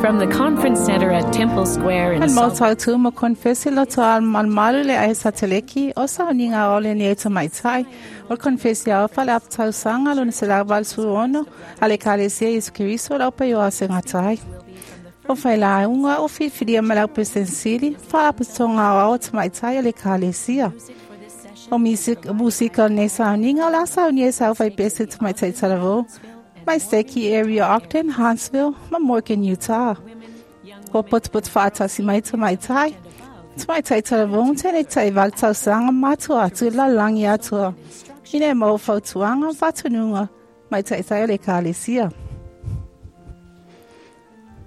From the Conference Center at Temple Square in Al Salt maota tu mo konfesi loto al malumalu le ae sateleki o sauniga o le nei tamaitai o le konfesi ao fale apatausaga lona 186 a le Ekalesia Iesu Keriso lau paio a segatai. O failauga o filifilia ma lau Peresetene faalapotopotoga aoao o tamaitai a le Ekalesia. O musika o lenei sauniga o le a saunia e sa faipese tamaitai talavou mai Seki Area Ogden, Huntsville, ma Morgan, Utah. Ua potopoto faatasi mai tamaitai. Tamaitai talavou tene tai valu tausaga ma atua atu i le lalolagi atoa. Ina e maua fautuaga ma faatonuga mai taitai o le Ekalesia.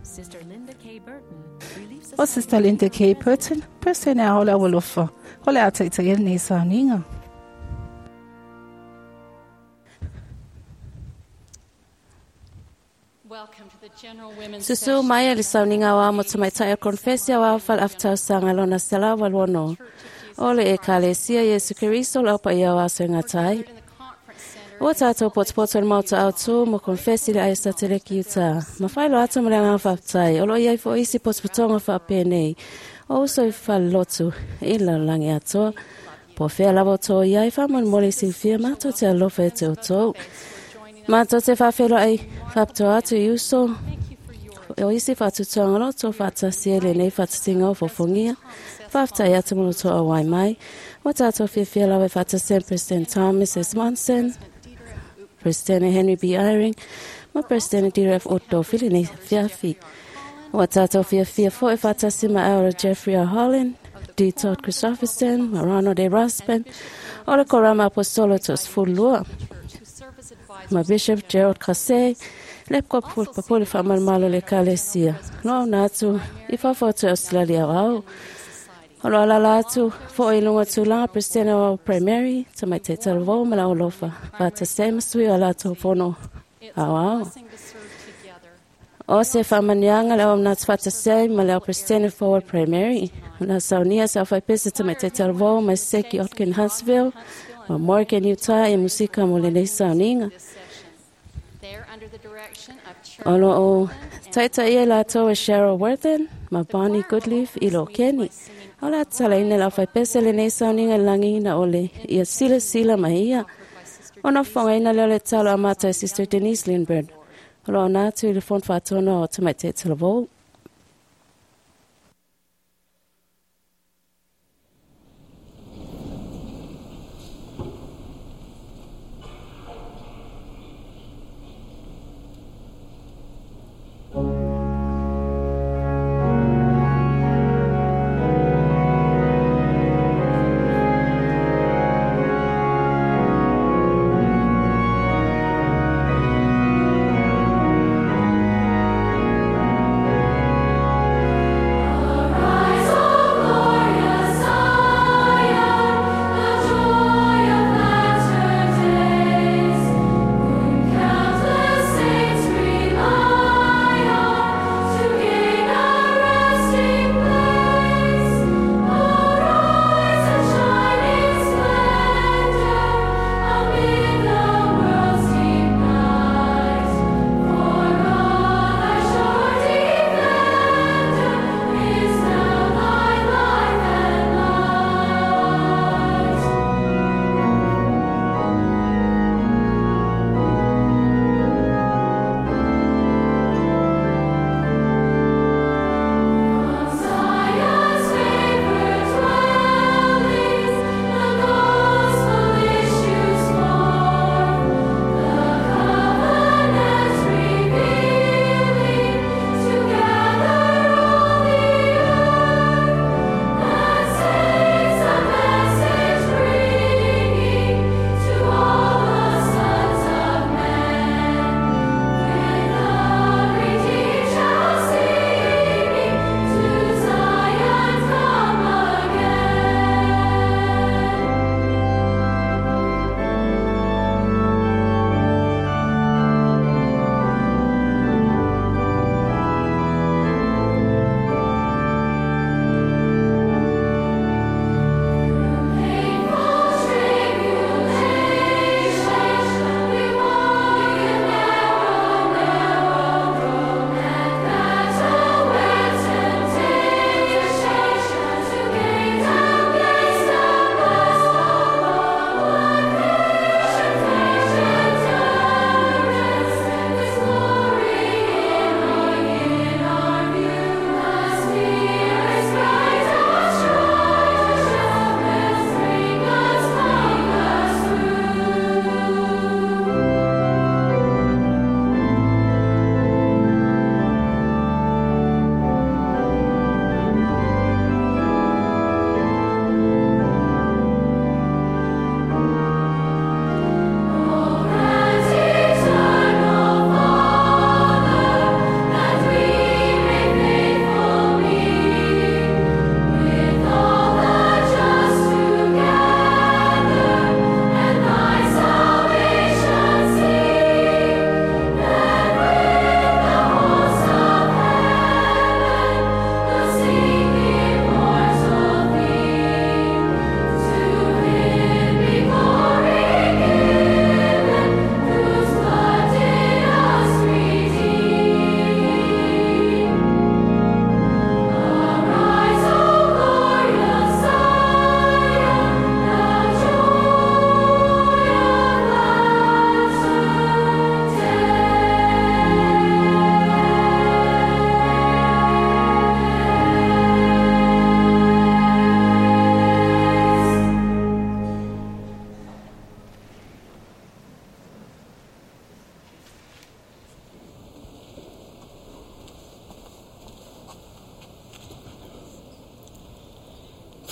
Sister Linda K. Burton, Relief O Sister Linda K. Burton, Peresetene ao o le Aualofa, o le a taitaia lenei sauniga. Welcome to the General Women's Susu mai e le sauniga aoao mo tamaitai o Konfesi Aoao Faale-Afa-Tausaga lona 186 o le Ekalesia Iesu Keriso o le Aupaia o Aso e Gata ai. Ua tātou potopoto i le Maota Autū mo Konfesi le Aia Sateleki Utah. Ma faailoa atu ma le agaga faafetai, o lo o i ai foi isi potopotoga faapenei o uso i falelotu i le lalolagi atoa. Po o fea lava o tō i ai, faamolemole i silafia matou te alofa ia te outou. Matou te faafeiloai faapitoa atu i uso o isi faatutuaga o lo outou faatasi ai i lenei faatasiga o fofogia. Faafetai atu mo lo outou auai mai. Ua tātou fiafia lava e faatasi ai ma President Thomas S. Monson, President Henry B. Eyring, ma President Dieter F. Uchtdorf i lenei afiafi. Ua tātou fiafia foi e faatasi ma Elder Jeffrey R. Holland, D. Todd Christofferson, ma Ronald A. Rasband, o le Korama Aposetolo 12, ma Bishop Gerald Caussé, le Episkopo Papule Faamalumalu o le Ekalesia. Loauna atu i fafo atu e Australia Aoao. O lo alala atu foi i luga o tulaga Peresetene o Primary, Tamaitai Talavou ma le Aualofa, faatasi ai ma sui o a latou fono aoao. O se faamanuiaga le auauna atu faatasi ai ma le au Peresetene Forward Primary. O le a saunia se aufaipese Tamaitai Talavou mai Seki Ogden Huntsville ma Morgan Utah i musika mo lenei sauniga. O lo o taitaia i latou e Cheryl Worthen ma Bonnie Goodleaf i lo Keni. O le a tatalaina le aufaipese lenei sauniga i le lagiina o le ia silasila mai ia. Ona fofogaina lea o le tatalo amata e Sister Denise Lindberg. O lo o ona atu i le Fono Faatonu o Tamaitai Talavou.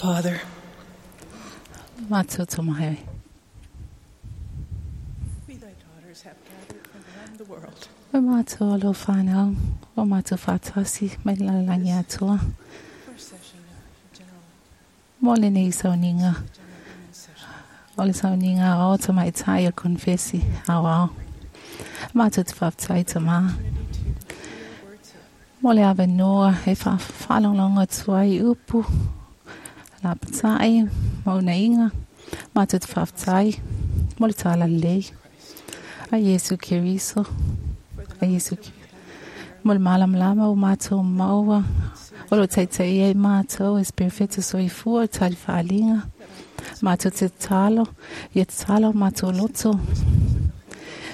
Father, Mātou tamahe. we thy daughters have gathered from around the world. O mātou alo whānau, o mātou whātasi, mai la langi atua. First session of general, Mo le nei sauninga, general women's session. o le sauninga o ta mai tai o konfesi, au au. Mātou te whaptai ta mā. Opportunity to hear words of Mo le awe noa, e wha whaalonglonga tua i upu. La patai, mauna inga. Mātou te whaptai, mo le tāla lei. Christ. A Yesu Keriso, For the a knowledge Yesu that we have Mo le malamlama o mātou maua. O lo taitai e mātou e spirifeta soifua tali whaalinga. Mātou te talo, ia te talo mātou loto.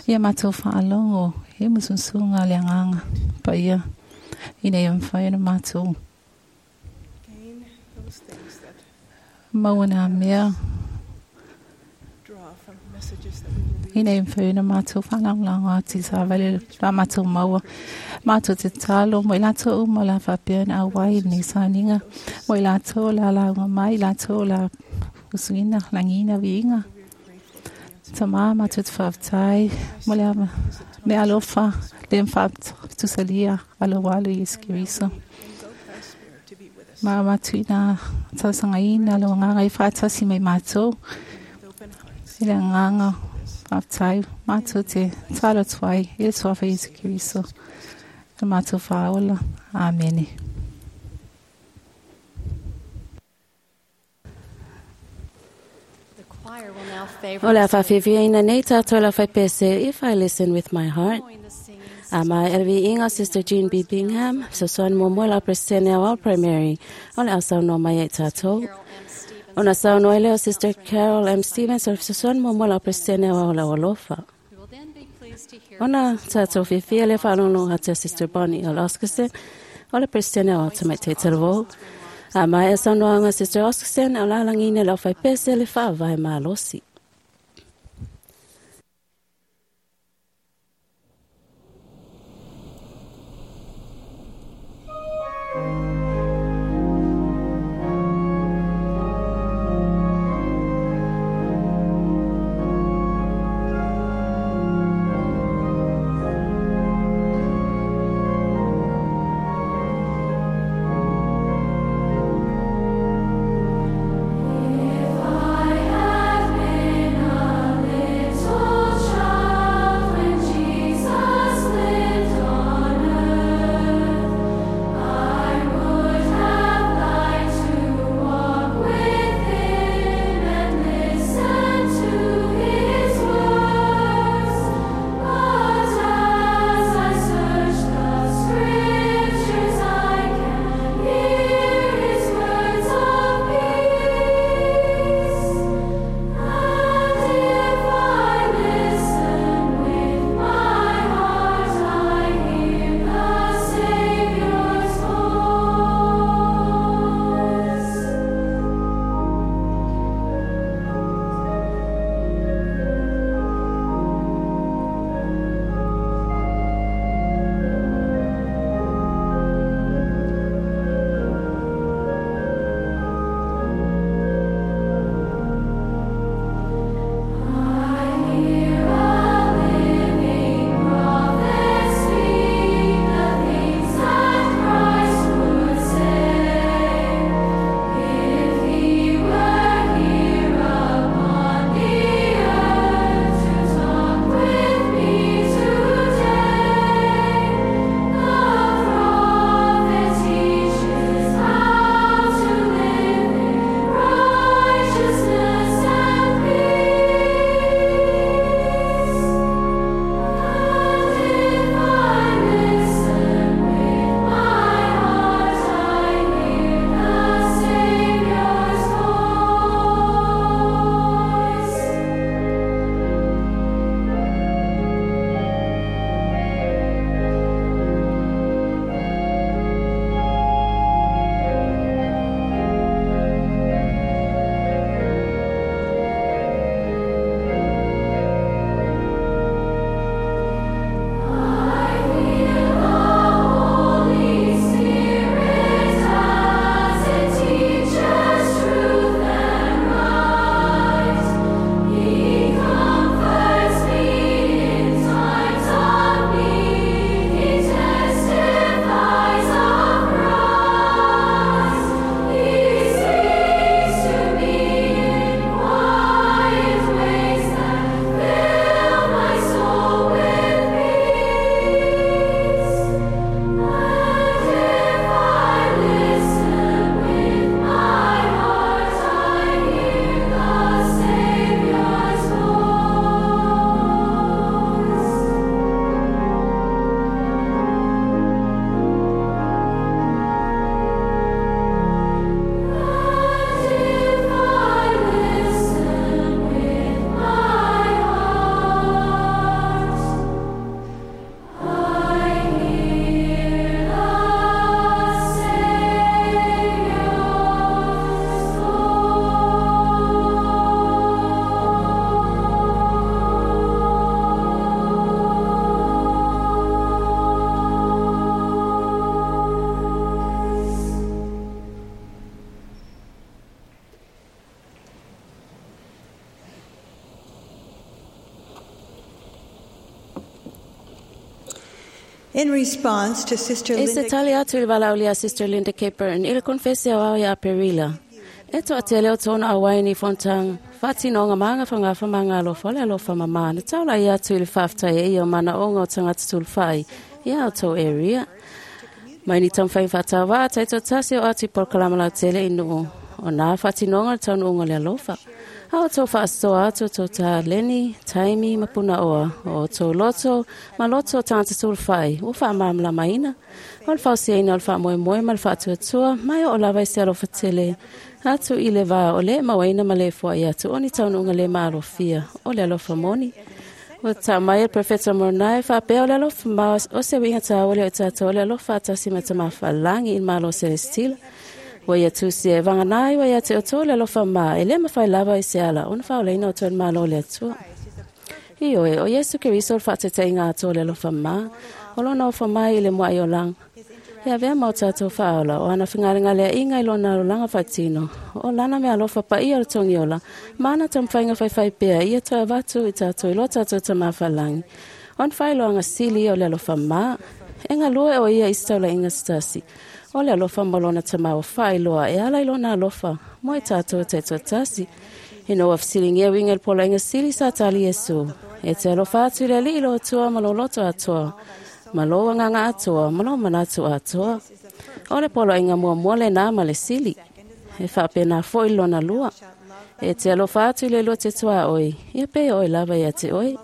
Ia mātou whaalongo, e musunsunga le anganga. Pa ia, ina ia mwhai na mātou. gain those things that Maua nā mea, draw from messages that we will ina ia mwhai na mātou whaalangolanga ati sa vale la mātou maua. Mātou te talo, mo i lātou uma la whapea na awai ni saninga. Mo i lātou la launga mai, lātou la usuina, langina, viinga. We are grateful for the answer. Ta mā mātou te whaftai, mo le ama, me alofa, le mwhap tusalia, alo walu Yesu Keriso. Invoke thy spirit to be with us Mā mātou ina tausanga ina, lo nganga i whātasi mai mātou, with open hearts. i le nganga whaftai, mātou te talo tuai, i le tuafa Yesu Keriso. Le mātou whaola. Amene. The choir will now favor O le us with whawhiwhiaina nei tātou la whaipese, If I Listen With My Heart. following the singing. A mai elvi inga Sister Jean B. Bingham, so soan mo mo la presene au primary. O le au saunoa mai e tātou. Carol M. Stevens. Ona saunoa leo Sister Carol M. Stevens, o so soan mo mo la presene au la alofa. We will then be pleased to hear Ona from Sister tātou whiwhia le whanongo atu Sister Bonnie o Oscarson, o le presene au tamai te talo. A mai e saunoanga Sister Oscarson, o la langina lau whaipese le whaavai malosi. I have been In response to Sister E se Linda tali atu i le valaaulia a Sister Linda K. Burton i le konfesi aoao ia Aperila. E toatele o tōna auai ni fonotaga, faatinoga ma agafagafa ma agalofa o le alofa mamā na taulai atu i le faafetai e ia o manaoga o tagata sulufai ia outou area. Mai ni taumafai faatauva'a taitoatasi o atu i polokalama lautele i nuu o nā faatinoga o le taunuuga o le alofa. A outou faasoa atu outou taleni, taimi ma punaoa o outou loto ma loto o tagata sulufai ua faamalamalamaina. O le fausiaina o le faamoemoe ma le faatuatua mai oo lava i se alofa tele atu i le va o le mauaina ma le foai atu o ni taunuuga le maalofia o le alofa moni. Ua tau mai e le Profeta Moroni faapea o le alofa ma o se uiga taua lea o tatou o le alofa atasi ma Tamafa'alagi i le Malo Selestila. Ua ia tusi e vagana ai ua ia te outou le alofa ma e le mafai lava i se ala ona faaolaina outou i le Malo o le Atua. Ioe, o Iesu Keriso o le faatetaiga atoa o le alofa ma, o lona ofo mai i le mua'i olaga. E avea ma o tatou faaola o ana fegalegalea'iga i lona alolaga faatino, o lana meaalofa paia o le togiola, ma ana taumafaiga faifai pea ia toe avatu i tatou i lo tatou Tamafa'alagi. O na faailoaga sili ia o le alofa ma, e galue o ia i se taula'iga se tasi, o le alofa ma lona tamā ua faailoa e ala i lona alofa mo i tatou taitoatasi. Ina ua fesiligia uiga i le poloaiga sili sa tali Iesu, e te alofa atu i le Alii lo Atua ma lou loto atoa, ma lou agaga atoa, ma lou manatu atoa. O le poloaiga muamua lenā ma le sili. E faapena fo'i le lona lua. E te alofa atu i le lua te tuaoi, ia pei o oe lava ia te oe.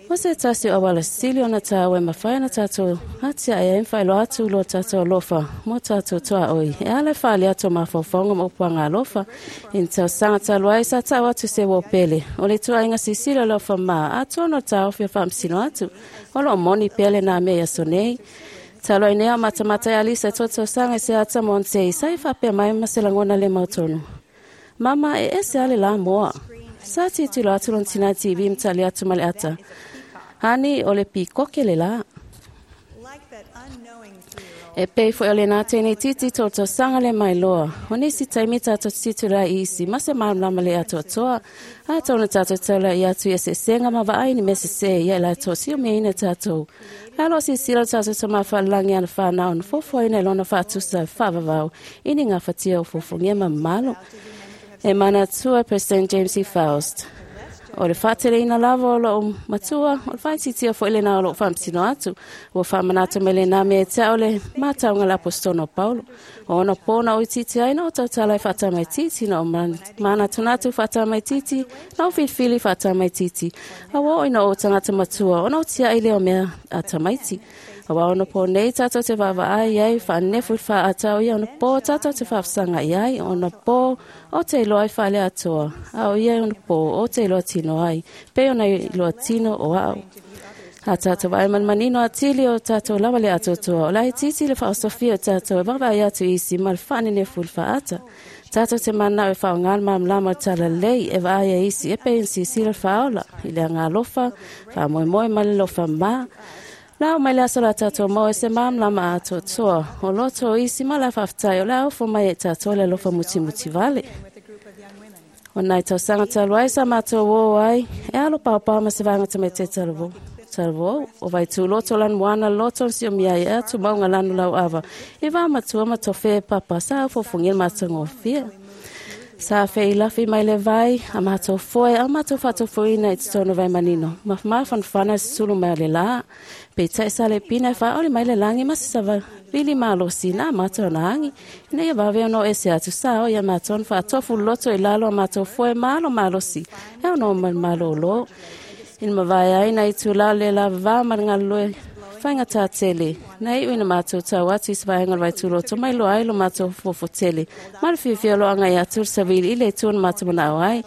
O se tasi o auala sili ona tāua e mafai ona tatou atiae ai ma faailoa atu lo tatou alofa mo tatou tuaoi e ala i faaalia atu o mafaufauga ma upu agalofa. I ni tausaga talu ai sa tau atu se uo pele o le ituaiga silasila o le alofa ma atoa ona o le taofi o faamasino atu o loo moni pea lenā mea i aso nei. Talu ai nei a o matamata e Alisa i tua tausaga i se ata Monte sa i faapea mai ma se lagona le mautonu. Mama e ese a le la moa. Sa tilotilo atu lona tinā TV ma tali atu ma le ata. Hani o le pikoke le la. Like that unknowing 3-year-old E pei foi o lenā teine itiiti tolu tausaga le mailoa. O nisi taimi tatou te tilotilo ai i isi ma se malamalama le atoatoa. Atonu tatou taulai atu i eseesega ma vaai ni mea sesē ia i latou siomiaina tatou. Ae o lo o silasila lo tatou Tama faalelagi ana whanau na foafoaina i lona faatusa e faavavau i ni gafatia o fofogia ma mamalo. E manatua President James E. Faust. O le faateleina lava o lou matua, o le faaitiitia foi lenā o lou faamasino atu. Ua faamanatu mai lenā mea ia te au le matauga a le Aposetona o Paulo. O ona pō na ou itiiti ai, na ou tautala ai faatamaitiiti, na ou manatunatu faatamaitiiti, na ou filifili faatamaitiiti. A ua oo ina ou tagata matua, ona ou tia'i lea o mea a tamaiti. Aua ona pō nei tātou te vaavaai ai, faanefu i le faaatau ia ona pō tātou te faafesaga'i ai, ona pō o te iloa ai faaleatoa, a o ia ona pō o te iloa tino ai, pei ona iloa tino o a'u. A tātou vaai ma le manino atili o tātou lava le atoatoa, o le aititi le faaosofia o tātou e vaavaai atu i isi ma le faanenefu i le faata. Tātou te mana'o e faaaogā le malamalama o le talalelei e vaai ai isi e pei ona silasila le faaola i le agaalofa, faamoemoe ma le alofa ma. La o mai le aso la tātou maua i se malamalama atoatoa o loto o isi ma le faafetai o le a ofo mai e tātou le alofa mutimuti vale. with a group of young women. O nai tausaga talu ai sa matou ō ai e alo paopao ma se vaega tamaitai talavou. Talavou, o Vaituuloto lanu moana loto na siomia ai e atu mauga lanu lauava i va matua ma tofe e papa sa ofofogia le matagofie. Sa feilafi mai le vai a matou foe a matou faatofuina i totonu o Vaimanino ma mafanafana i se sulu mai o le lā. Peitai sa le pina e faaoli mai le lagi ma se savili malosi na matou na agi ina ia vave ona o ese atu sa o ia matou na faatofu loto i lalo a matou foe ma alo malosi e ono ma le malōlō. Ina mavae ai nā itulā o le lavavā ma le galulue faigata tele, na iu ina matou tau atu i se vaega o le Vaituuloto mai loa ai lo matou fofo tele ma le fiafia o lo agai atu le savili i le itu na matou mana'o ai.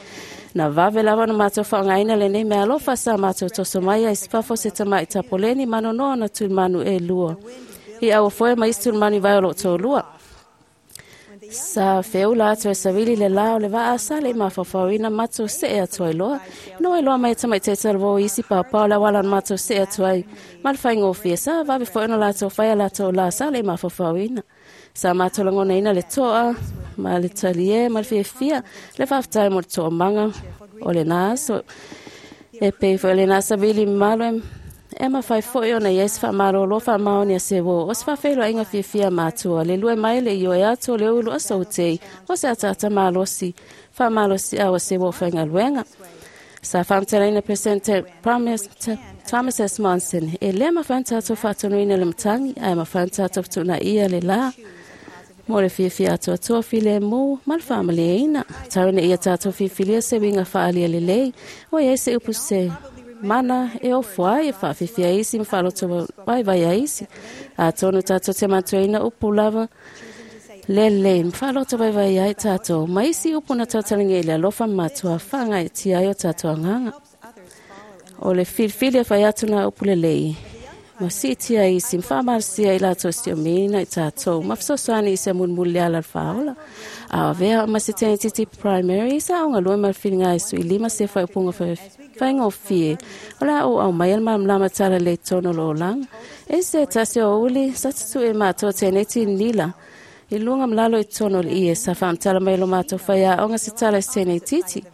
Na vave lava ona matou faaaogaina lenei meaalofa sa matou toso mai ai i fafo se tama'i tapoleni ma nonoa ona tulimanu e lua i auafoe ma isi tulimanu i vai o lo'u toalua. Sa feula atu e savili le la o le vaa sa le i mafaufauina matou see atu ai loa. Ina ua iloa mai e tamaitai talavou i isi paopao le auala na matou see atu ai ma le faigofie, sa vave foi ona latou fai a latou la sa le i mafaufauina. Sa matou lagonaina le toa ma le talie ma le fiafia le faafetai mo le toomaga o lenā aso. E pei foi o lenā savili mamalu e E mafai foi ona i ai se faamalōlō faamaoni a se uō o se faafeiloaiga fiafia matua le lue mai le ioe atu o le ulu aso utei o se ataata malosi faamalosiau a se uō faigaluega. Sa faamatalaina President Thomas S. Monson, e lē mafai ona tatou faatonuina le matagi, ae mafai ona tatou fetuunaia le lā mo le fiafia atoatoa filemu ma le faamalieina. Tau ina ia tatou filifilia se uiga faaalia lelei, ua i ai se upu se mana e ofo ai e faafifia isi ma faaloto vaivai a isi. Atonu tatou te manatuaina upu lava lelei ma faaloto vaivai ai tatou ma isi upu na tautalagia i le alofa ma matua faagaeetia ai o tatou agaga. O le filifili e fai atu na upu lelei ma siitia isi ma faamalosia i latou siomiina i tatou ma fesoasoani i se mulimuli le ala o le faaola. A avea ma se teneititi primary sa aogalue ma le filiga e sui lima se faaupuga faigofie o le a ou aumaia le malamalama talalelei tonu o lo olaga. E se tasi o uli sa tutuʻe matou teneiti nila i luga ma lalo i totonu o le ie sa faamatala mai lo matou faiaoga se tala i se teneititi.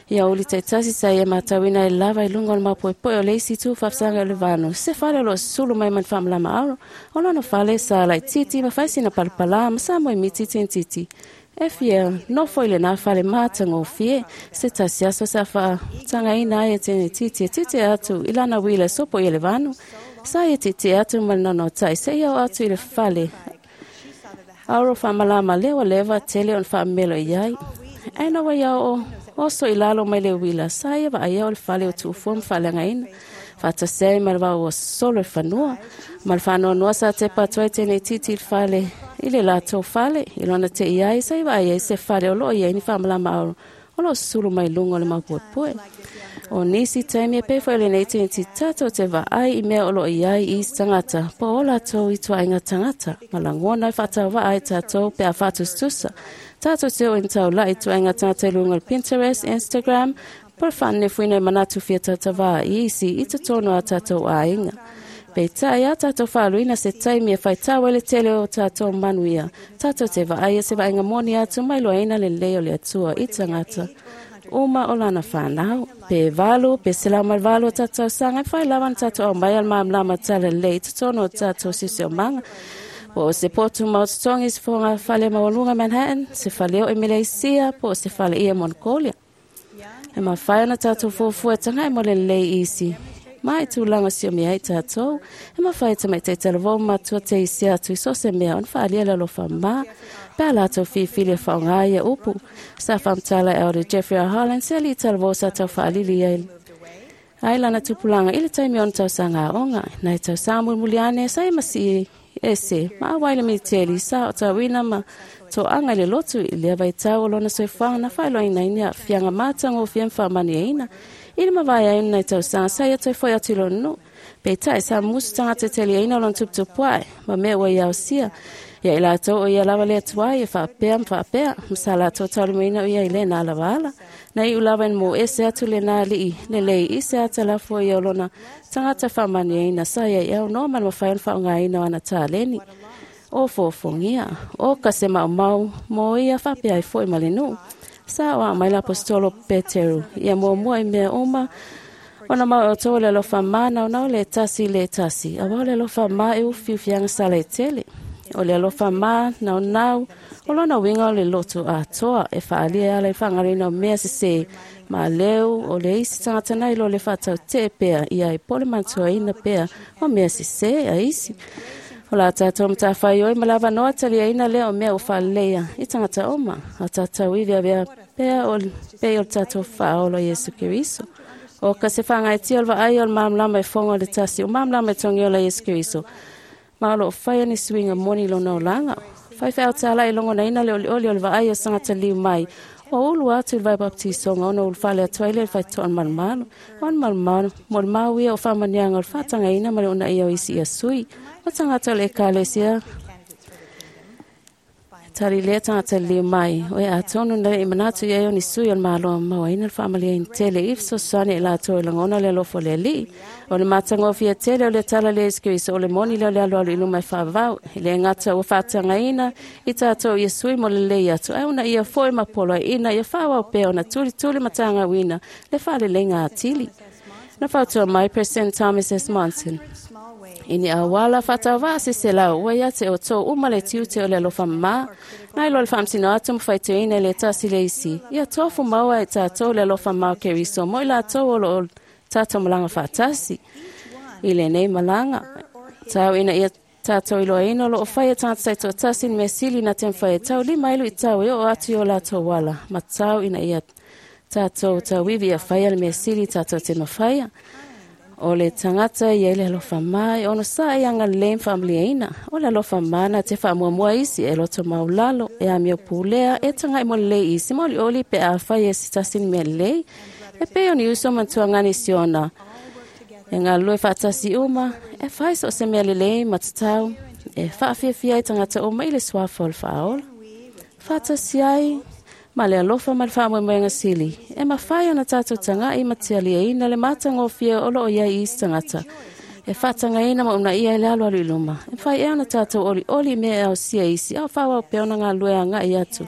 Ia uli taitasi sa ia matauina ai lava i luga o le mapoepoe o le isi itu faafasaga o le vanu se fale o loo sulu mai ma le faamalama auro o lona fale sa laititi ma fai sina palapalā ma sa moemiti tenititi. E fia nofo i lenā fale matagofie se tasi aso sa faatagaina ai e tenititi e titi atu i lana uila e sopo ia le vanu. Sa ia titi atu ma le nonotai seia oo atu i le fale auro faamalama lea ua leva tele ona faamemelo i ai. Ae na ua ia oo oso i lalo mai le uila sa ia vaaia o le fale o tuufua ma faaleagaina faatasi ai ma le vao ua solo i le fanua ma le faanoanoa sa tepa atu ai teneititi i le fale i le latou fale i lona te'i ai sa i vaai ai se fale o loo i ai ni faamalama auro o loo sulu mai luga o le maupuepue. O nisi taimi e pei foi o lenei teneititi tatou te vaai i mea o loo i ai i isi tagata po o latou i tuaiga tagata ma lagona e faatauvaa ai tatou pe a faatusatusa. Tatou te oo ina taula'i tuaiga tagata i luga o le Pinterest, Instagram, po o le faanenefuina i manatu fia tautavā i isi i totonu o a tatou aiga. Peitai a tatou faaluina se taimi e faitau ai le tele o tatou manuia, tatou te vaaia se vaaiga moni atu ma iloaina lelei o le Atua i tagata uma o lana fanau. Pe 8 pe 108 o tatou tausaga, e fai lava ona tatou aumaia le malamalama talalelei i totonu o tatou siosiomaga. Po o se potu maototogi i se fogafale maualuga Manhattan, se faleoo i Meleisia, po o se faleia Mongolia. E mafai ona tatou fuafua e taga'i mo le lelei isi ma i tulaga siomia ai tatou. E mafai e tamaitai talavou ma matua te isi atu i so o se mea ona faaalia le alofa ma pe a latou filifili e faaaoga ia upu. Sa faamatala e Elder Jeffrey R. Holland se alii talavou sa tau faalili ai ai lana tupulaga i le taimi o ona tausaga aoga. Nai tausaga mulimuli ane sa e masii ese ma auai le militeli sa ootauina ma toaga i le lotu i lea vaitau o lona soifuaga na faailoaina ai ni aafiaga matagofie ma faamanuiaina i le mavae ai ona nai tausaga sa ia toe foi atu i lona nuu. Peitai sa musu tagata e taliaina o lona tuputupuae ma mea ua ia aosia ia i latou o ia lava le atuai e faapea ma faapea ma sa latou taulimaina o ia i lena lava ala. Na iu lava ina mo ese atu lenā alii lelei i se ata lafo ia o lona tagata faamanuiaina sa ia i aunoa ma le mafai ona faaaogaina o ana taleni. O fofofgia, o ka se maumau mo ia faapea ai foi ma le nuu. Sa oa mai le aposetolo Peteru ia muamua i mea uma ona mau e outou o le alofa manaonao le tasi i le tasi, auā o le alofa ma e ufiufiaga sala e tele. O le alofa manaonao o lona uiga o le loto atoa e faaalia e ala i le faagaloina o mea sesē ma leu o le isi tagata nai lo le faatautee pea ia ai po o le manatuaina pea o mea sesē a isi. O la tatou matafaioi ma le avanoa taliaina lea o mea ua faaleleia i tagata uma, a tatou ivi avea pea o pei o le tatou Faaola Iesu Keriso. O ka se faagaeetia o le vaai o le malamalama e foga o le tasi o malamalama e togiola Iesu Keriso, ma o loo faia ni suiga moni i lona olaga. Faifeau tālaʻi logonaina le olioli o le vaai o se tagata liu mai ua ulu atu i le vai baptisoga ona ulufale atu ai lea i le faitotoa o le malumalu. O le malumalu mo le mau ia o faamanuiaga o le faatagaina ma le uunaia o isi ia sui o tagata o le ekalesia. Tali lea tagata liliu mai, o e atonu na leʻi manatu i ai o ni sui o le Malo mauaina le faamaliaina tele i fesoasoani i latou e lagona le alofa o le Alii. O le matagofie tele o le tala lea Iesu Keriso o le moni lea o le alualu i luma e faavavau. E le gata ua faatagaina i tatou ia sui mo le lelei atu, ae una ia foi ma poloaiina ia faaauau pea ona tulituli ma tagauina le faaleleiga atili. Na fautua mai President Thomas S. Monson. I ni auala faatauvaa se selau ua ia te outou uma le tiute o le alofa mamā, nai lo le faamasino atu ma faitioina i le tasi le isi. Ia tofu maua e tatou le alofa mamā o Keriso mo i latou o loo tatou malaga faatasi. I lenei malaga, tau ina ia tatou iloaina o loo faia tagata taitoatasi ni mea sili na te mafai e taulima ai luitau e oo atu i o latou ala, ma tau ina ia tatou tauivi ia faia le mea sili tatou te mafaia. O le tagata ia i le alofa mā e ono sa e agalelei ma faamaliaina. O le alofa mā na te faamuamua isi e loto maulalo, e amio pulea, e tagai mo lelei isi ma olioli pe afai e se tasi ni mea lelei. E pei o ni uso ma tuagani siona. E galulue faatasi uma, e fai so o se mea lelei ma tatau, e faafiafia ai tagata uma i le suafa o le faaola. Faatasi ai, ma le alofa ma le faamoemoega sili, e mafai ona tatou tagai ma tialiaina le matagofie o loo iai i isi tagata. E faatagaina ma uunaia i le alualu i luma. E mafai ea ona tatou olioli i mea e ausia e isi, a o faaauau pea ona galulue agai atu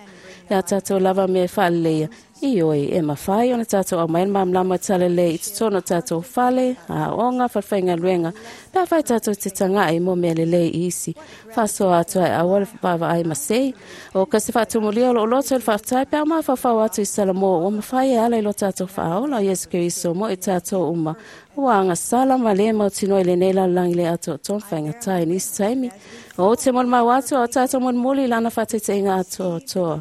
e a tatou lava mea e faaleleia. Ioe, e mafai ona tatou aumai le malamalama o le talalelei i totonu o tatou fale, aoga, falefaigaluega, pe afai tatou te tagai mo mea lelei i isi. Faasoa atu ai aua le vaavaai masei. O ka se faatumulia o loo loto i le faafetai pe a mafaufau atu i Salamo ua mafai e ala i lo tatou faaola o Iesu Keriso mo i tatou uma. Ua agasala ma le mautinoa i lenei lalolagi le atoatoa ma faigata i nisi taimi. O te molimau atu a o tatou molimoli i lana faataitaiga atoatoa.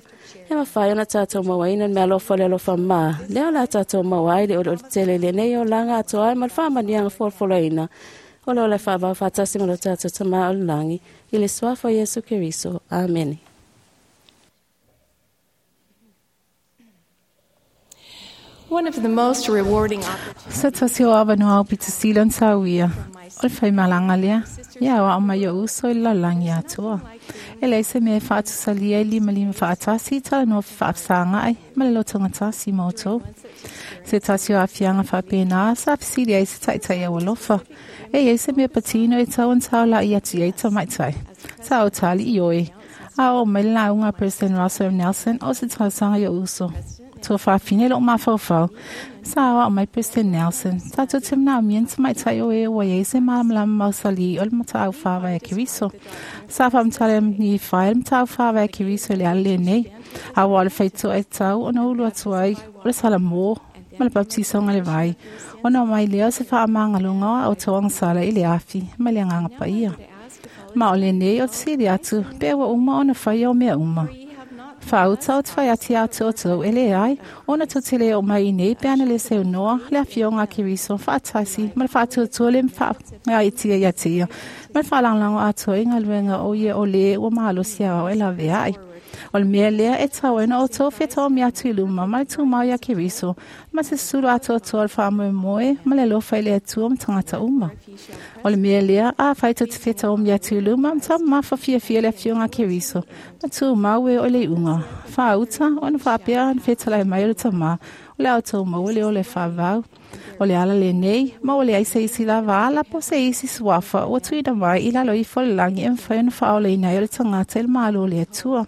E mafai ona tatou mauaina le meaalofa o le alofa mā. Lea o le a tatou maua ai le olioli tele i lenei olaga atoa ai ma le faamanuiaga folafolaina. O le ola e faavao faatasi ma lo tatou Tamā o le lagi, i le suafa o Iesu Keriso. Amene. One of the most rewarding opportunities Se tasi o avanoa aupito sili ona sauia, o le faimalaga lea, ia aoao mai o'u uso i le lalolagi atoa. E leai se mea e faatusalia i limalima faatasi i talanoa fefaafesagaai ma le lotogatasi ma outou. Se tasi o aafiaga faapena sa fesili ai se taitai aualofa, e iai se mea patino e tau ona taola'i atu i ai tamaitai. Sa ou tali, Ioe. A oo mai le lauga a President Russell M. Nelson o se talosaga i o'u uso. Tuafafine lo'u mafaufau, sa aoao mai President Nelson, tatou te manaomia ni tamaitai o e ua iai se malamalama mausali o le mataau faavae a Keriso. Sa faamatala ni fai le mataau faavae a Keriso i le ala lenei, a ua o le faitoa e tau ona ulu atu ai o le salamo ma le baptisoga le vai, ona omai lea o se faamagaloga o a outou agasala i le afi ma le agaga paia. Ma o lenei o te sili atu pe ua uma ona faia o mea uma. Faauta o te fai atu ia te outou e leai, ona tou te le oo mai i nei pe ana le seunoa le afioga a Keriso faatasi ma le faatuatua le faagaeetia ia te ia, ma le faalagolago atoa i galuega o ia o lē ua malosi aoao e laveai. O le mea lea e tatau ai ona outou fetaomi atu i luma ma le tumau iā Keriso, ma se susulu atoatoa o le faamoemoe ma le alofa i le Atua ma tagata uma. O le mea lea, afai tou te fetaomi atu i luma ma taumamafa fiafia i le afioga a Keriso, ma tumau e oo i le iuga, faauta ona faapea ona fetalai mai o le Tamā, o le a outou maua le ola e faavavau. O le ala lenei, ma ua leai se isi lava ala po o se isi suafa ua tuuina mai i lalo ifo o le lagi e mafai ona faaolaina ai o le tagata i le Malo o le Atua.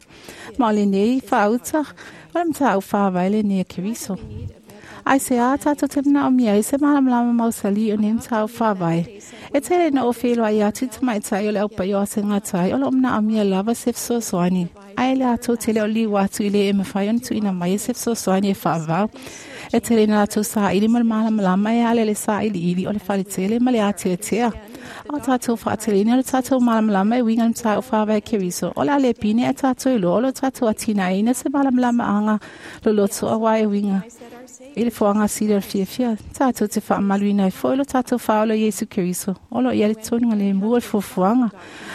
Ma o lenei faauta, o le mataupu faavae lenei a Keriso. Aisea tatou te manaomia ai se malamalama mausali o nei mataupu faavae? E tele ina ou feiloai atu i tamaitai o le aupaia o asegatai o lo o manaomia lava se fesoasoani, ae latou te le o liu atu i le e mafai ona tuuina mai e se fesoasoani e faavavau. E tele ina latou saili mo le malamalama e ala i le sailiili o le faletele ma le ateatea. A o tatou faateleina o le tatou malamalama e uiga i le mataupu faavae Keriso, o le a le pine a tatou iloa o lo tatou atinaeina se malamalamaaga loloto auā e uiga i le foaga sili o le fiafia. Tatou te faamaluina ai foi lo tatou faaola o Iesu Keriso, o lo o i ai le tonuga lemu o le fuafuaga.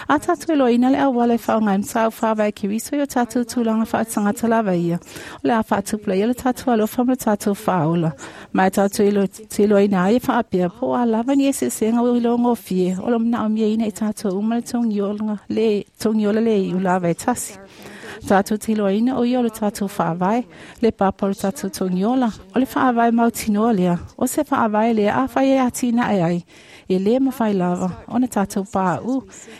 A tatou iloaina le auala e faaaoga ai mataupu faavae Keriso i o tatou tulaga faatagata lava ia, o le a faatupulaia lo tatou alofa ma lo tatou faaola. Ma e tatou te iloaina ai e faapea po o a lava ni eseesega ua iloagofie o lo o manaomiaina i tatou uma le togiola le iu lava e tasi. Tātou te iloaina o ia o le tātou faavae, le papa o le tātou togiola, o le faavae mautinoa lea, o se faavae lea afai e atinae ai, e lē mafai lava ona tātou paʻu.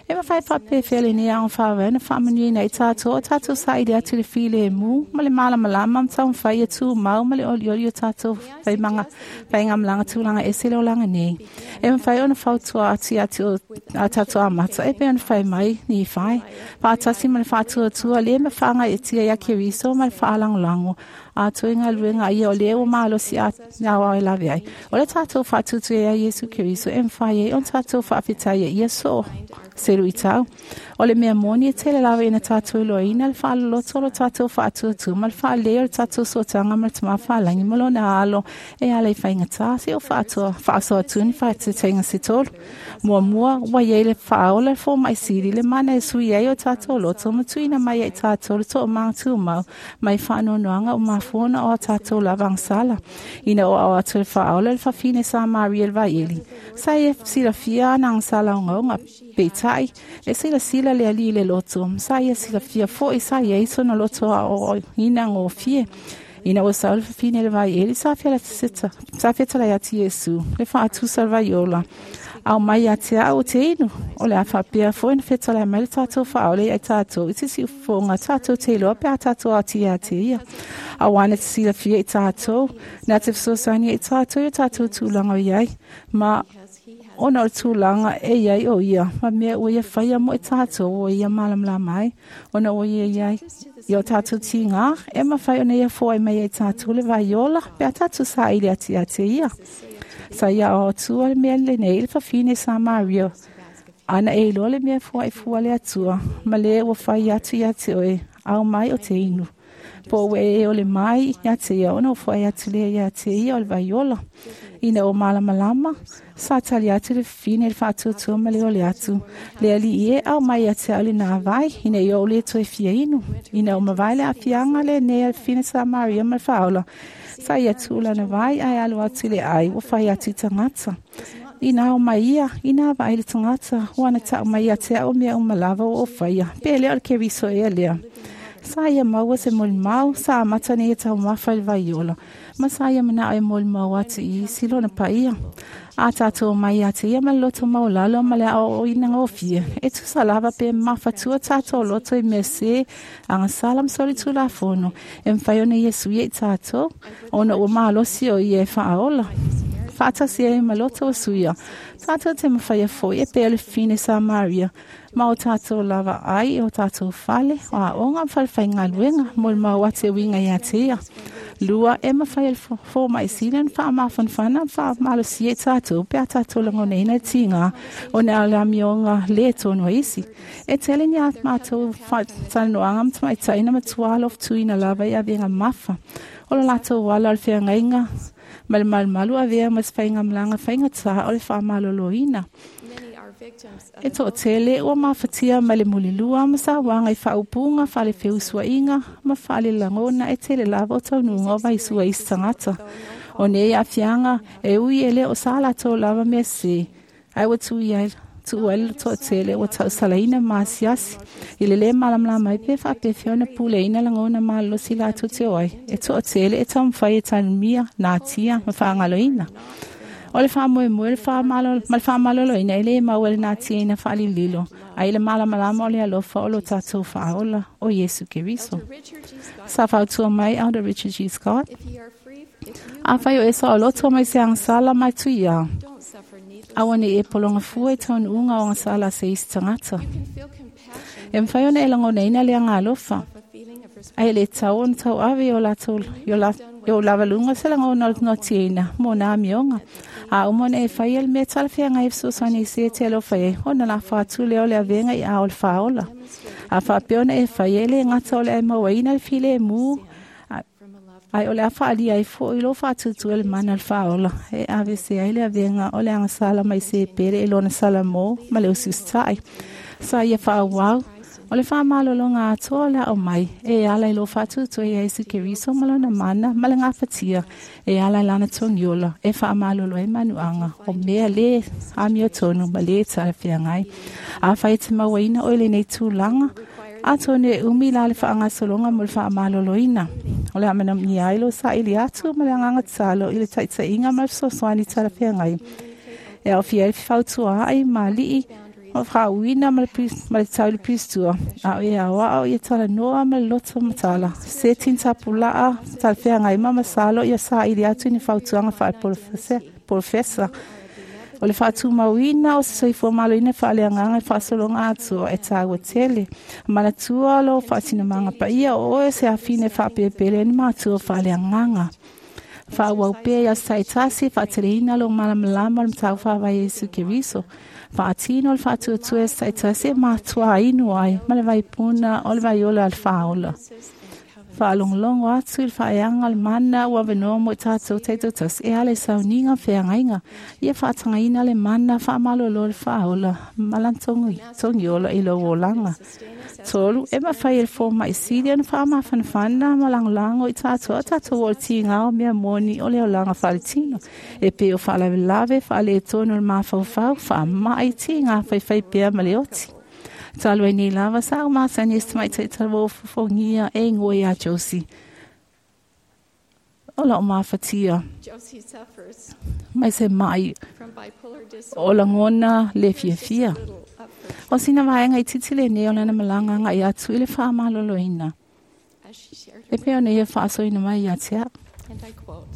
E mafai faapefea lenei aoga faavae ona faamanuiaina ai tātou o tātou saili atu i le filemu ma le malamalama ma taumafai ia tumau ma le olioli o tātou faigamalaga tulaga ese le olaga nei. E mafai ona fautua atu ia te a tātou amata e pei ona fai mai Nifai, faatasi ma le faatuatua lē ma faagaeetia iā Keriso ma le faalagolago atoa i galuega a ia o lē ua malosi aoao e lave ai. O le tātou faatutu ia Iesu Keriso e mafai ai ona tātou faafetai ia ia soo se luitau. O le mea moni e tele lava ina tātou iloaina le faaloloto o lo tātou faatuatua ma le faalelei o le tātou sootaga ma le Tamā Faalagi ma lona alo e ala i faigatā seia faasoa atu ni faaeteetega se tolu. Muamua, ua i ai le faaola le fomaʻi sili le mana e sui ai o tātou loto ma tuuina mai ai tātou le toomaga tumau mai faanoanoaga ua mafua ona o a tātou lava agasala. Ina ua ao atu le faaola le fafine Samaria i le vaieli, sa ia silafia ana agasala ogaoga, peitai e silasila le alii i le loto, sa ia silafia foʻi sa i ai sona loto aoaoina gofie. Ina ua sau le fafine i le vaieli, sa fetalai atu Iesu, le faatusa o le vaiola, ao mai ia te au o te inu. O le a faapea foʻi ona fetalai mai le tātou faaola ia i tātou i te siufofoga tātou te iloa pe a tātou aoti ia te ia. Auā na te silafia i tātou, na te fesoasoani ai i tātou i o tātou tulaga o i ai, ma ona o le tulaga e i ai o ia, ma mea ua ia faia mo i tātou ua ia malamalama ai, ona ua ia i ai i o tātou tigā, e mafai ona ia foai mai ai tātou le vaiola pe a tātou saili atu ia te ia. Sa ia ao atua le mea lenei i le fafine Samaria, ana e iloa le mea foai fua le Atua, ma le ua fai atu ia te oe, ao mai o te inu. Po ua e ole mai ia te ia ona o foai atu lea ia te ia o le vaiola. Ina o malamalama, sa tali atu le fafine i le faatuatua ma le ole atu. Le alii e ao mai ia te au le nā vai, ina ia o le toe fia inu. Ina o mavae le aafiaga lenei a le fafine Samaria ma le faaola, sa ia tuu lana vai ae alu atu i le ai ua fai atu i tagata. Ina ao mai ia, ina vaai le tagata, ua na tau mai ia te au mea uma lava ua ou faia, pe le o le Keriso ea lea. Sa ia maua se molimau, sa amata nei e taumafa i le vaiola, ma sa ia manao e molimau atu i isi lona paia. A tātou mai ia te ia ma le loto maualalo ma le aoaoina gofie, e tusa lava pe mafatua tātou loto i mea sē, agasala ma solitulafono, e mafai ona ia suia i tātou, ona ua malosi o ia e faaola. Faatasi ai ma loto o suia, tātou te mafaia foʻi e pei o le fafine Samaria, ma o tātou lava ai i o tātou fale, o aoga ma falefaigaluega, molimau atu e uiga ia te ia. Lua, e mafai e le fomaʻi sili ona faamafanafana ma faamalosia i tātou pe a tātou lagonaina le tigā ona o le amioga lē tonu a isi. E tele ni a matou talanoaga ma tamaitai na matua alofutuina lava i avega mafa o lo latou ala o le feagaiga ma le malumalu avea ma se faigamalaga faigatā o le faamaloloina. E toatele ua mafatia mai le mulilua ma sauaga i faaupuga faalefeusuaiga ma faalelagona e tele lava o taunuuga o vaisua i isi tagata. O nei aafiaga e ui e le o sa latou lava mea sesē, ae ua tuu ai le toatele ua tausalaina ma asiasi i le lē malamalama ai pe faapefea ona puleaina lagona malolosi latou te o ai. E toatele e taumafai e tanumia, natia ma faagaloina. O le faamoemoe ma le faamaloloina e lē maua i le natiaina faalililo, ae i le malamalama o le alofa o lo tātou faaola o Iesu Keriso. Sa fautua mai Elder Richard G. Scott, Afai o e saoloto mai se agasala mai tuiā, aua ne i e pologa fua i taunuuga o agasala a se isi tagata. E mafai ona e lagonaina le agaalofa, ae le tatau ona tauave i o latou i ou lavaluga se lagona o le notiaina mo nā amioga. A uma ona e faia le mea talafeagai e fesoasoani i se e te alofa ai, ona lafo atu lea o le avega i ao o le faaola. A faapea ona e faia, e lē gata o le a e mauaina le filemu, ae o le a faaalia ai foʻi lou faatuatua i le mana o le faaola, e aveese ai le avega o le agasala mai se pele i lona salamo ma le usiusitaʻi. Sa ia faaauau, o le faamalologa atoa o le ao mai, e ala i lou faatuatua iā Iesu Keriso ma lona mana ma le gafatia, e ala i lana togiola, e faamalolo ai manuaga o mea lē amiotonu ma lē talafeagai. Afai e te mauaina oe i lenei tulaga, Atonu e umi la le faagasologa mo le faamaloloina. O le a manaomia ai lou saili atu ma le agaga tatalo i le taitaiga ma le fesoasoani talafeagai. E aofia ai le fefautuaai ma alii o faauina ma le tau i le pilistua. A o e aoao ia talanoa ma le loto matala. Se tinitapulaa talafeagai ma masalo ia saili atu i ni fautuaga faale-polofesa. O le faatumauina o se soifua maloloina faaleagaga i le faasologa atoa e taua tele. Manatua lou faatinomaga paia o oe se afine faapelepele ai ni matua faaleagaga. Faaauau pea i aso taitasi e faateleina lou malamalama o le mataupu faavae Iesu Keriso. Faatino le faatuatua i aso taitasi e matuā inu ai ma le vaipuna o le vaiola a le fāola. Faalogologo atu i le faaeaga o le mana ua avanoa mo i tatou taitoatasi e ala i sauniga ma feagaiga. Ia faatagaina le mana faamalolo o le faaola ma lana togiola i lou olaga. 3, e mafai e le fomai sili ona faamafanafana ma lagolago i tatou a tatou oo i le tiga o mea moni o le olaga faaletino. E pei o faalavelave, faaletonu o le mafaufau, faamai, tiga faifai pea ma le oti. Talu ai nei lava sa ou masani e se tamaitai talavou fofogia e igoa iā Josie. O lau mafatia Josie suffers mai se mai from bipolar o disorder. lagona le Here's just a fiafia. little of her O sina vaega itiiti lenei o lana malaga agai atu i le faamaloloina. as she shared E her pei ona ia faasoaina mai ia te au. and I quote,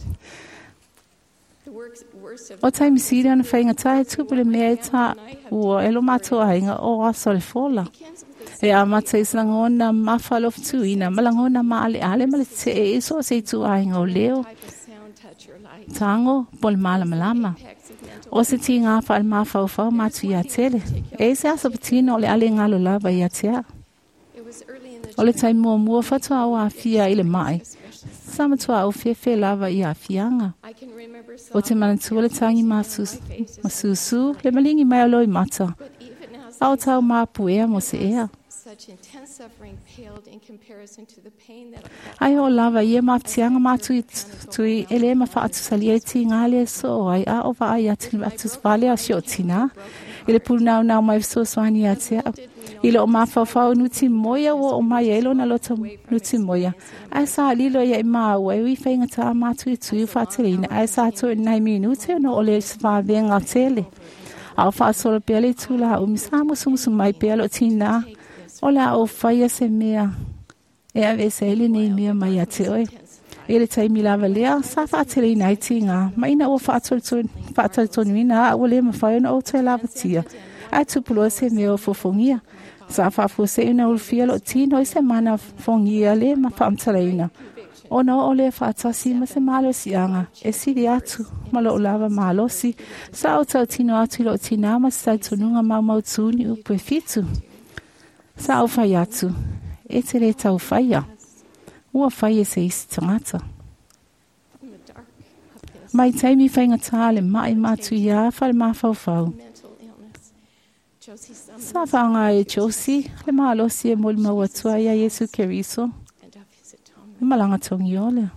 "The worst of O taimi sili ona faigatā e tupu le mea e taua e lo matou aiga o aso o le fola. begins with E amata i se lagona mafalofutuina ma lagona maaleale ma le tetee i so o se ituaiga o leo, type of sound, touch, or light. tago po o le malamalama. Impacts of mental O se tiga faale-mafaufau matu ia tele. E i se aso patino o le ale galo lava ia te au. It was early in the O le taimi muamua faatoa o afia i le mai. especially. Sa matua au fefe lava i aafiaga. I can remember O te sobbing manatua le tagi tears in my face as I masusu, le maligi mai o loi mata. But even as A o I tau mapuea mo se ea. such intense suffering paled in comparison to the pain that I felt Ai o lava ia mafatiaga matui tui e le mafaatusalia i tiga le soo ai a o vaai atu atusavale a si o tinā. I le punaunau mai fesoasoani ia te au. I loo mafaufau nuti moia ua o mai ai lona loto nuti moia. Ae sa lilo ia i maua e ui faigatā matuitui o faateleina. Ae sa toe nai minute ona o le vavenga tele. A o faasolo pea le itulā umi sa musumusu mai pea loo tinā. O le a ou faia se mea e aveese ai lenei mea mai ia te oe. I le taimi lava lea, sa faateleina ai tiga, ma ina ua faatalitonuina a ua le mafai ona ou toe lavatia. Ae tupuloa se mea o fofogia. Sa faafuasei ona ulufia loo tino i se mana fogia le ma faamatalaina. Ona oo lea faatasi ma se malosiaga e sili atu ma loo lava malosi. Sa ou tautino atu i loo tinā ma se talitonuga maumautu ni upu e 7. Sa ou fai atu, e te le tau faia. Ua fai e se isi tagata. in the dark of this Mai taimi faigatā le mai matu ia fale mafaufau. mental illness. Josie summoned Sa faaaga e Josie le malosi e molimau atua ia Iesu Keriso and of his atonement. le malaga togiole.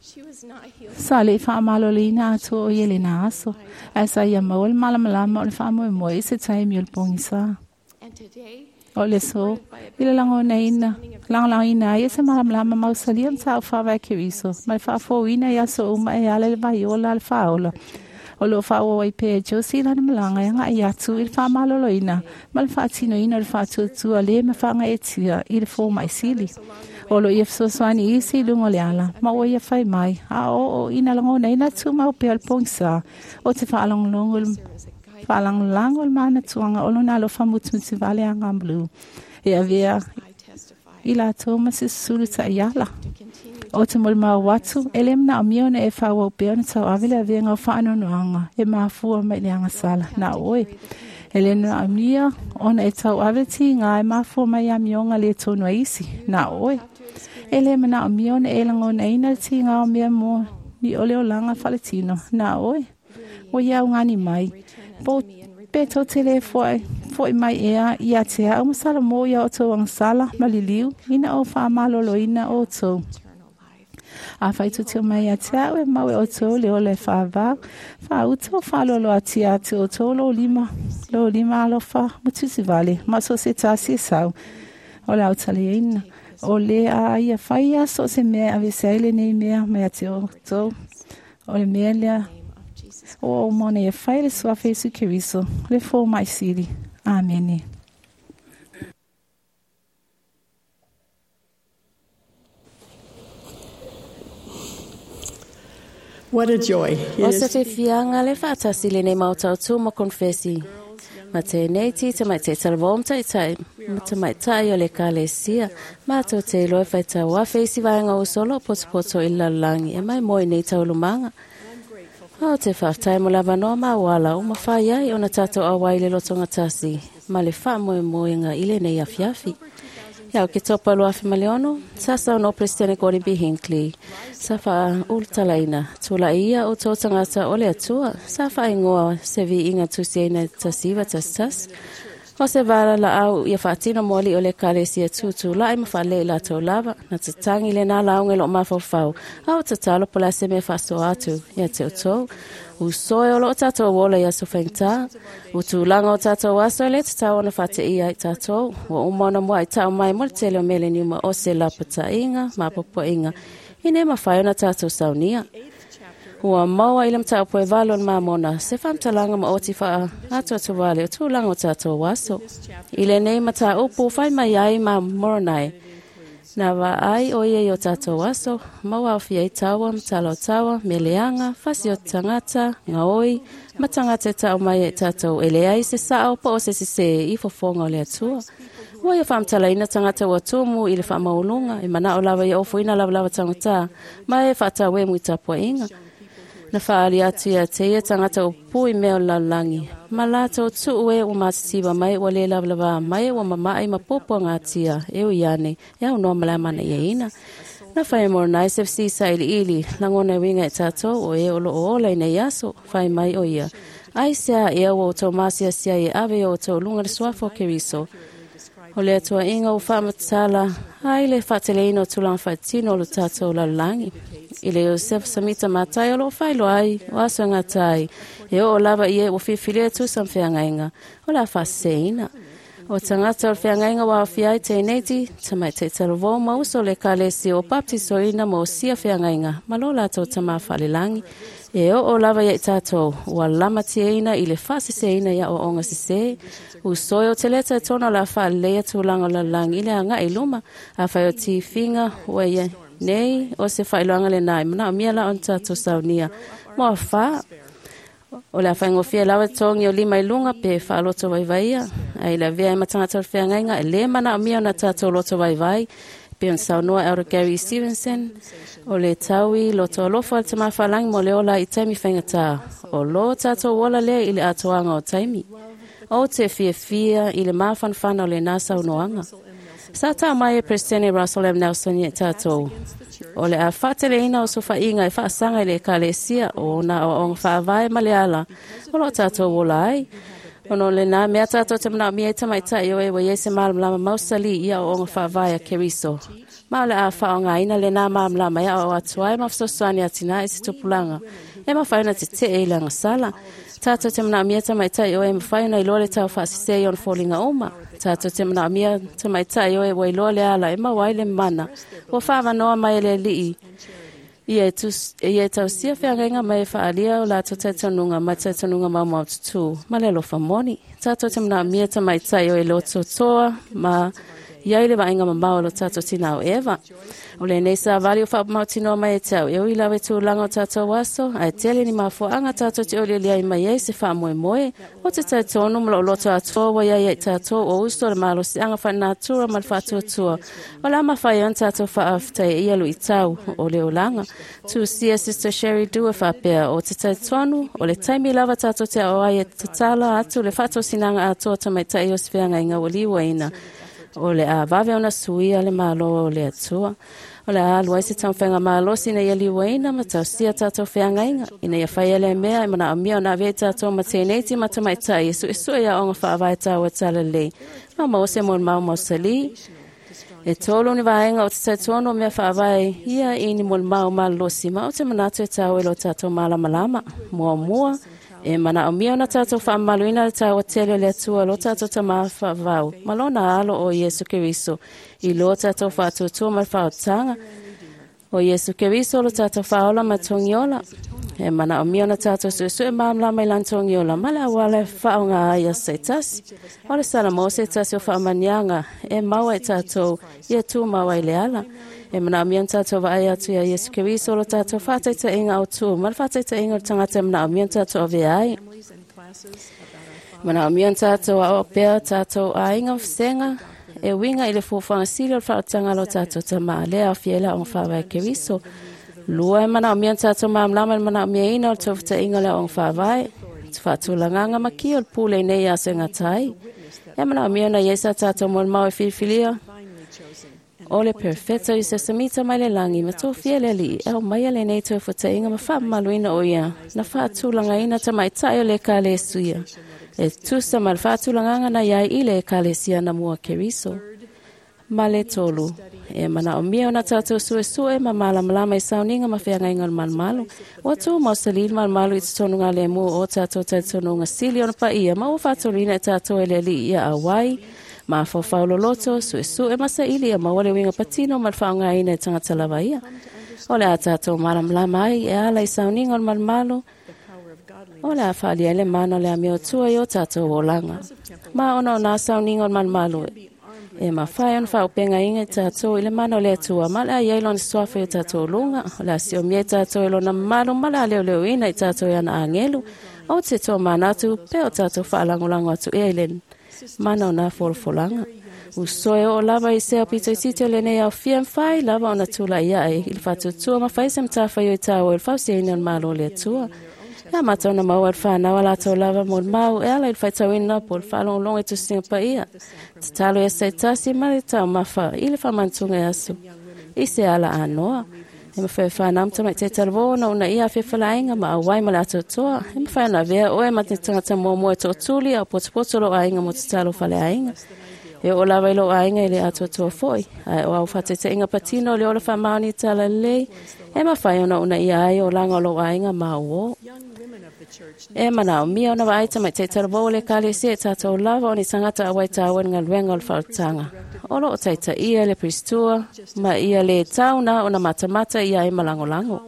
She was not healed Sa le faamaloloina atoa o ia lena aso. Ae sa ia maua le malamalama o le faamoemoe i se taimi o le pogisa. and today O le so, i le lagonaina, lagolagoina ai e se malamalama mausalia ma ta'u faavae Keriso, ma le faafouina i aso uma e ala i le vaiola a le faaola. O loo faaauau ai pea e Josie i lana malaga e aga'i atu i le faamaloloina ma le faatinoina o le faatuatua le ma faagaeetia i le foma'i sili. O loo ia fesoasoani isi i luga o le ala, ma ua ia fai mai, a oo ina lagonaina tumau pea o le pogisā, o te faalogologo i le faalagolago le manatuaga o lona alofa mutumutu vale agamulu. E avea I testify i latou ma se susulu ta'iala. to continue O te molimau atu, e le manaomia ona e faaauau pea ona tauave le avega o faanoanoaga e mafua mai i le agasala na oe. E le manaomia ona e tauave le tiga e mafua mai amioga le tonu a isi na oe. E le manaomia ona e lagonaina le tiga o mea mo ni o le olaga faaletino na oe. Ua ia augani mai. Po pe tou te le fo'i mai ea ia te au ma Salamo ia outou agasala ma liliu ina o faamaloloina outou. eternal life. A faitutio mai ia te au e mau e outou le ola e faavau, faauta o faaloloatia atu outou lou lima alofa ma tusivale, ma so se tasi e sau. O le aotaliaina. O le a ia fai aso o se mea avese ai lenei mea mai ia te outou. O le mea lea o uma ona ia fai le suafa Iesu Keriso, le fomai sili. Amene. What a joy O it se is to be fiafiaga le faatasi lenei maotautu ma konfesi. Ma tēnei ti tamaitai talavō ma taitai ma tamaitai o le ekalesia. Mātou te iloa e faitau afe isi vaega o solo o potopoto i le lalolagi e mai mo i nei taualumaga. O te faafetai mo le avanoa ma auala ua mafai ai ona tatou auai i le lotogatasi ma le faamoemoega i lenei afiafi. Ia o ke topa 2006, sa saunoa Peresetene Gordon B. Hinckley, sa faaulutalaina, tula'i ia o tō tagata o le Atua, sa faaigoa se viiga tusiaina 1911, o se vala laau ia faatino mo ali'i o le ekalesia tutula'i ma faalelei i latou lava, na tatagi lenā lauga i loo mafaufau, a o tatalo po o le a se mea faasoa atu ia te outou. Usoe o loo tatou ola i aso faigata, o tulaga o tatou aso e lē tatau ona faateia ai tatou, ua uma ona muaʻi mai mo le tele o meleniuma o se lapataiga ma apoapoaiga, ina ia mafai ona tatou saunia. Ua maua i le mataupu e 8 o le Mamona se faamatalaga maoti faaatoatoa o tulaga o tatou aso. I lenei mataupu fai mai ai ma Moronai, na vaai o ia i o tatou aso, ma ua aofia ai taua ma tala o taua, meleaga, fasi o tagata, gaoi, ma tagata e taʻu mai ai tatou e leai se saʻo po o se sesē i fofoga o le Atua. Ua ia faamatalaina tagata ua tumu i le faamaualuga, e manaʻo lava ia ofoina lavalava tagatā, ma e faatauemu i tapuaʻiga. Na faali atu ia te ia tagata o pui mea o le lalolagi, ma latou tuu e ua matitiva mai ua lē lavalavā mai ua mamaʻi ma puapuagatia e ui ane e aunoa ma le amanaiaina. Na fai e Moronai se fesisa iliili lagona e uiga e tatou o e o loo ola i nei aso, fai mai o ia. Ai sea ea ua outou masiasia e ave i o outou luga le suafa o Keriso. O le atuaʻiga ua faamatala ai le faateleina o tulaga faatino o lo tatou lalolagi. I le Iosefa Samita Matai o loo faailoa ai o aso e gata ai, e oo lava i e ua filifilia e tusa ma feagaiga o le a faaseseina. O tagata o le feagaiga ua aofia ai teineiti, tamaitai talavō ma uso o le ekalesia ua baptisoina ma osia feagaiga ma lo latou tamā faalelagi. E oo lava ia i tatou, ua lamatiaina i le faaseseina i aoaoga sesē. Usoe o te leta e tona o le a faaleleia tulaga o le lalolagi i le agaʻi i luma, afai o tifiga ua ia nei o se faailoaga lenā e manaomia la ona tatou saunia mo afā. O le a faigofie lava togi o lima i luga pe faaloto vaivaia, ai le avea ai ma tagata o le feagaiga e lē manaomia ona tatou loto vaivai, pe ona saunoa Elder Gary Stevenson, o le taui loto alofa o le tamā faalagi mo le ola i taimi faigata, o lō tatou ola lea i le atoaga o taimi. O te fiafia i le mafanafana o lenā saunoaga. Sa taʻu mai e Peresetene Russell M. Nelson ia i tatou. O le a faateleina o sofaʻiga e faasaga i le ekalesia o ona aoaoga faavae ma le ala o loo tatou ola ai. Ona o lenā mea tatou te manaomia ai tamaitai o e ua iai se malamalama mausali i aoaoga faavae a Keriso. Ma o le a faaaogāina lenā malamalama e aoao atu ai ma fesoasoani atinae se tupulaga e mafai ona tetee i le agasala. Tatou te manaomia tamaitai o e mafai ona iloa le tau faasese i ona foliga uma. Tatou te manaomia tamaitai o e ua iloa le ala e maua ai le mana ua faavanoa mai e le Alii ia e tausia feagaiga mai e faaalia o latou talitonuga ma talitonuga maumau tutū ma le alofa moni. Tatou te manaomia tamaitai o e lototoa ma iai le vaaiga mamao o lo tatou tinā o Eva. O lenei savali o faamautinoa mai e te au e ui lava i tulaga o tatou aso, ae tele ni mafuaaga tatou te olioli ai mai ai se faamoemoe o te talitonu ma loo loto atoa ua iai ai tatou o uso o le malosiaga faalenatura ma le faatuatua. O le a mafai ona tatou faafetaia ia luitau o le olaga. Tusia Sister Sherry Dewar faapea o te talitonu o le taimi lava tatou te ao ai e tatala atu le faatosinaga atoa tamaitai o se feagaiga ua liuaina. O le a vave ona suia le malo o le Atua. O le a alu ai se taumafaiga malosi ina ia liuaina ma tausia tatou feagaiga, ina ia faia lea mea e manaomia ona avea i tatou ma teineiti ma tamaitai e suesue i aoga faavae taua talalelei ma maua se molimau mausalī. E tolu ni vaega o te talitonu o mea faavae ia i ni molimau malolosi ma o te manatu e taua i lo tatou malamalama. Muamua, E manaomia ona tatou faamamaluina le taua tele o le Atua lo tatou Tamā faavavau ma lona Alo o Iesu Keriso i lo tatou faatuatua ma le faaotaga. O Iesu Keriso lo tatou faaola ma togiola. E manaomia ona tatou suesue malamalama i lana togiola ma le auala e faaaoga ai aso taitasi. O le salamo se tasi o faamaniaga e maua i tatou ia tumau ai le ala. E manaomia ona tatou vaai atu ia Iesu Keriso lo tatou faataitaiga autu ma le faataitaiga o le tagata e manaomia ona tatou avea ai. Manaomia ona tatou aoao pea tatou aiga ma vasega e uiga i le fuafuaga sili o le faaotaga a lo tatou Tamā lea e aofia ai le aoga faavae Keriso. Lua, e manaomia ona tatou malamalama i le manaomiaina o le tofutaiga o le aoga faavae, faatulagaga ma kia o le pule i nei aso e gata ai. E manaomia ona i ai sa tatou molimau e filifilia o le Perfeta i se samita mai le lagi ma tofia le Alii e aumaia lenei toefutaiga ma faamamaluina o ia na faatulagaina tamaitai o le Ekalesia e tusa ma le faatulagaga na iai i le Ekalesia na mua Keriso. Ma le tolu, e manaomia ona tatou suesue ma malamalama i sauniga ma feagaiga o le malumalu. Ua tu mausali le malumalu i totonu galemu o tatou talitonuga sili ona paia ma ua faatoluina e tatou e le Alii ia auai, mafaufau loloto, suesue ma saili ia maua le uiga patino ma le faaaogaina e tagata lava ia. O le a tatou malamalama ai e ala i sauniga o le malumalu, o le a faaalia ai le mana o le amiotua i o tatou olaga. Ma ona o nā sauniga o le malumalu, e mafai ona faaopegaina i tatou i le mana o le Atua ma le a iai lona suafa i o tatou luga, o le a siomia i tatou i lona mamalu ma le a leoleoina i tatou i ana agelu, o te toa manatu pe o tatou faalagolago atu ea i le mana o nā folafolaga. Usoe o lava i sea pito i titi o lenei aofia mawhai lava ona tula ia e i le faatuatua ma fai se matawhai o i tāua i le fausiaina o le malo o le Atua. Ia mātou na maua le whanau a lātou lava mo le mau e ala i le whaitauina po le whaalongolongo i tusinga paia. Tatalo ia se tasi ma le taumafa i le whamantunga e aso. I se ala anoa. E mawhai whanau mta te talvo na una ia whiwhalainga ma awai ma le atotoa. E mawhai na vea oe ma te tangata mua e tōtuli au potopoto lo ainga mo te talo whale ainga. E o lava i lo ainga i le atotoa foi. Ai o au whatetenga patino le ola whamaoni tala lei. E mawhai ona una ia ai o langa o lo ainga ma o. E manaomia ona vaai tamaitai talavou o le Ekalesia e tatou lava o ni tagata auai taua i le galuega o le faaolataga. O loo taitaia le Pristua ma ia lē tauna ona matamata ia ai ma lagolago.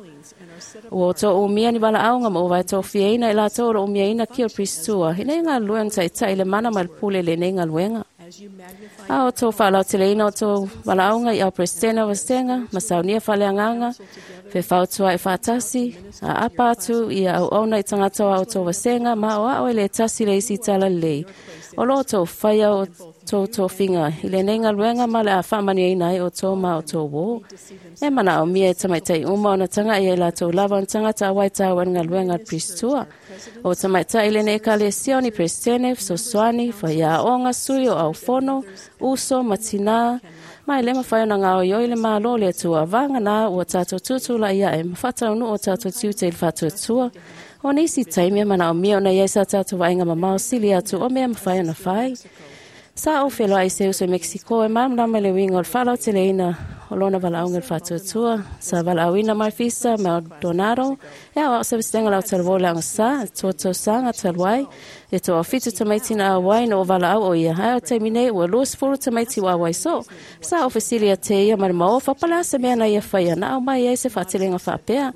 Ua outou umia ni valaauga ma ua vaetofiaina i latou o loo umiaina kia o le Pristua ina ia galulue ona taitai i le mana ma le pule i lenei galuega. A outou faalauteleina outou valaauga i ao Peresetene o Vasega ma saunia faaleagaga fefautuaʻi faatasi aapa atu ia auauna i tagata o a outou vasega ma aoao e lē tasi le isi tala lelei. O loo outou faia o tou tofiga i lenei galuega ma le a faamanuiaina ai outou ma outou uō. E manaomia e tamaitai uma ona tagaʻi ai latou lava ona tagata auai taua i le galuega a le Pristua. O tamaitai lenei Ekalesia o ni Peresetene, fesoasoani, faiaoga, sui o aufono, uso ma tinā, ma e lē mafai ona gaoioi le mālō le Atua vagana ua tatou tutulaʻi aʻe ma faataunuu o tatou tiute i le faatuatua. O nisi taimi e manaomia ona iai sa tatou vaaiga mamao sili atu o mea mafai ona fai. Sa ou feloai se uso i Mexico e malamalama i le uiga o le faalauteleina o lona valaauga i le faatuatua. Sa valaauina mai Fisa Maldonado e aoao se vasega lau talavou le agasā, tua tausaga talu ai. E toafitu tamaiti na auai na o valaau o ia. Ae o taimi nei ua 20 tamaiti ua auai soo. Sa ou fesili ia te ia ma le maofa po o le a se mea na ia faia na aumai ai se faatelega faapea.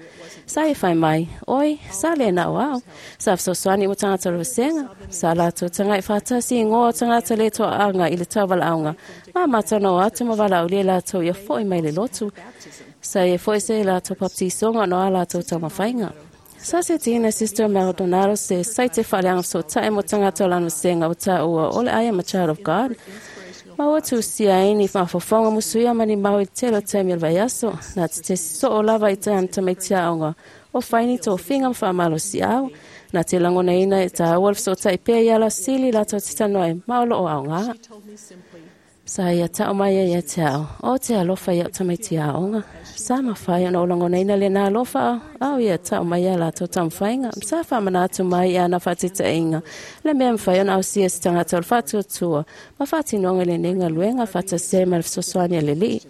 Sa ia fai mai, oi, sa lē na o au. Sa fesoasoani ua tagata o le vasega. Sa latou tagaʻi faatasi i goa o tagata lē toaaga i le tauvalaauga. Ma matou na o atu ma valaaulia latou ia foʻi mai le lotu. Sa ia foi se latou baptisoga ona o a latou taumafaiga. Sa setiina Sister Maldonado se saite faaleaga fesootaʻi mo tagata o lana vasega ua taua o le I am a child of God. Ma ua tusia ai ni mafaufauga musuia ma ni mau i le tele o taimi o le vaiaso. Na te soo lava i ana tamaiti aoga o fai ni tofiga ma faamalosiau. Na te lagonaina e taua le fesootaʻi pea i ala sili latou te talanoa ai ma o loo aogā. Sa ia tao mai ai ia te ao, o te alofa ia o tamaiti aoga. Sa mafai ona o lagonaina lenā alofa ao ia tao mai ia latou taumafaiga. Sa faamanatu mai ia ana faataitaiga le mea mafai ona ausia se tagata o le faatuatua ma faatinoga i lenei galuega faatasi ai ma le fesoasoani a le Alii.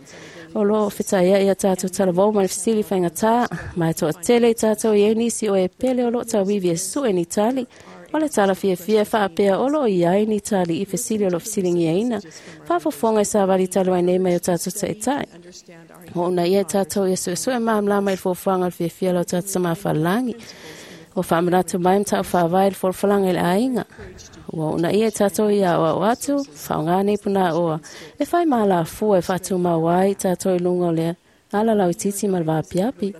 O loo fetaia ia tātou talavou ma le fesili faigata ma e toatele i tātou i ai nisi o e pele o loo tauivi e sue ni tali. O le tala fiafia e faapea o loo i ai ni tali i fesili o loo fesiligiaina. Faafofoga i savali talu ai nei mai o tātou taʻitaʻi. O una ia tātou ia suesue malamalama i le fuafuaga o le fiafia o lo tatou Tamā Falelagi. O faamanatu mai ma taʻufaavae i le folafolaga i le aiga. Ua uunaia i tātou ia aʻoaʻo atu, faaaogā nei punaoa e fai malafua e faatumau ai tātou i luga o le ala lauitiiti ma le vaapiapi.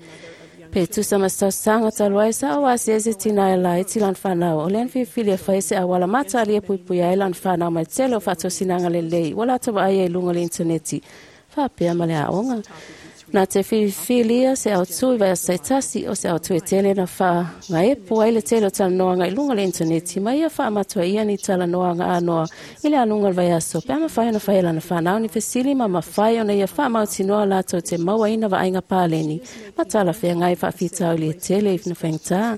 Pe tusa ma se tausaga talu ai sa o asiasi tinā e laiti lana fanau. O lea na filifili e fai se auala matalia e puipuia ai lana fanau mai le tele o faatosinaga lelei ua latou vaaia i luga o le initaneti faapea ma le aoga. Na te filifilia se autū i vaiaso taitasi o se autū e tele na faagaepu ai le tele o talanoaga i luga o le initaneti ma ia faamatuaia ni talanoaga anoa i le aluga o le vaiaso pe a mafai ona fai e lana fanau ni fesili ma mafai ona ia faamautinoa latou te mauaina vaaiga paleni ma talafeagai faafitauli e tele i na faigata.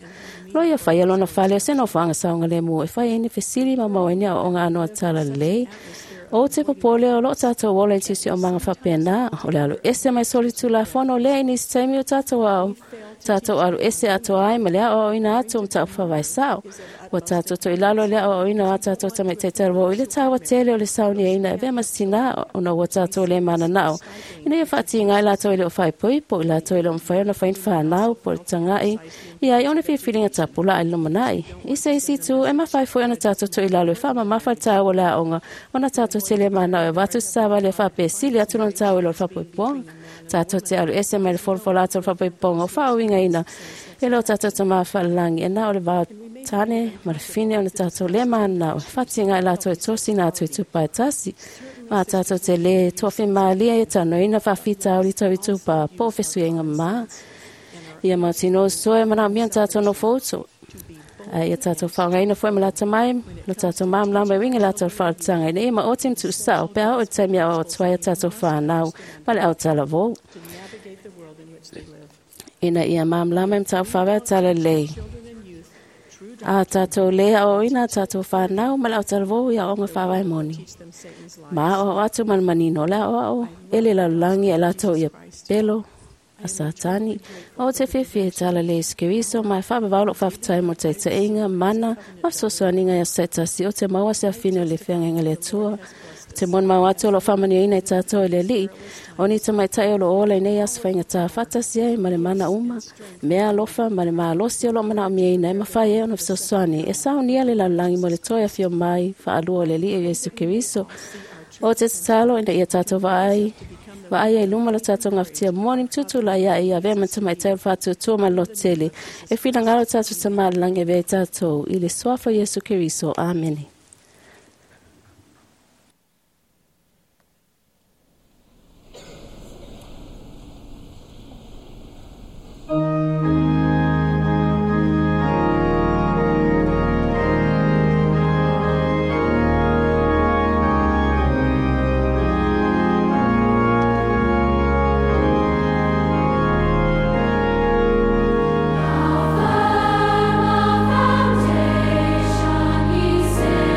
Lo ia faia lona fale o se nofoaga saogalemu e fai ai ni fesili ma maua ai ni aoaoga anoa talalelei. O te popole o loo tātou ola i le siosiomaga faapena, o le alu ese mai solitulafono lea i nisi taimi o tātou ao. Tātou alu ese atoa ai ma le aoaoina atu o mataupu faavae sao. Ua tātou toilalo i le aoaoina o a tātou tamaitai talavou i le taua tele o le sauniaina e avea ma se tinā ona ua tātou le mananao ina ia faatiga ai latou e le o faaipoipo i latou e le o mafai ona fai ni fanau po o le tagai i ai o ni filifiliga tapulaa i le lumanai. I se isi itu, e mafai foi ona tātou toilalo e faamamafa le taua o le aoga ona tātou te le manao e avatu se savali e faapea e sili atu lona taua i lo le faapoipoga. Tātou te alu ese mai le folafola atu o le faapoipoga o faauigaina e lo tātou Tamā Falelagi e na o le va tane ma le fine ona tātou le manao e faatiga ai latou e tosina atu i tupa e tasi. Ma tātou te le toafimālie e tanoina faafitauli tau i tupa po o fesuiaiga mamā. Ia mautinoa soe manaomia na tātou nofouto. Ae ia tātou faaaogaina foi ma lata mai lo tātou malamalama e uiga i latou faaolataga ina ia maoti ma tuusao pe a oo i le taimi e aoao atu ai a tātou fanau ma le autalavou. Ina ia malamalama i mataupu faavae o talalelei. A tātou lē aoaoina a tātou whānau ma le aotalavou i aoaoga faavae moni. Ma aoao atu ma le manino o le aoao e le lalolagi e latou ia pelo a Satani. O te fiafia e talalelei Iesu Keriso ma e faavavao lou faafetai mo le taitaiga, mana ma fesoasoaniga i aso taitasi o te maua se afine o le feagaiga a le Atua. O te molimau atu o lo o faamanuiaina i tātou e le Alii, o ni tamaitai o lo o ola i nei aso faigata faatasi ai ma le mana uma, mea alofa ma le malosi o lo o manaomiaina e mafai ai ona fesoasoani e saunia le lalolagi mo le toe afio mai faalua o le Alii o Iesu Keriso. O te tatalo ina ia tātou vaai vaai ai i luma lo tātou gafatia moni ma tutulai ae ia avea ma tamaitai o le faatuatua ma le lototele e finagalo tātou Tama i le Lagi e avea ai tātou i le Suafa o Iesu Keriso. Amene. Foundation, he said.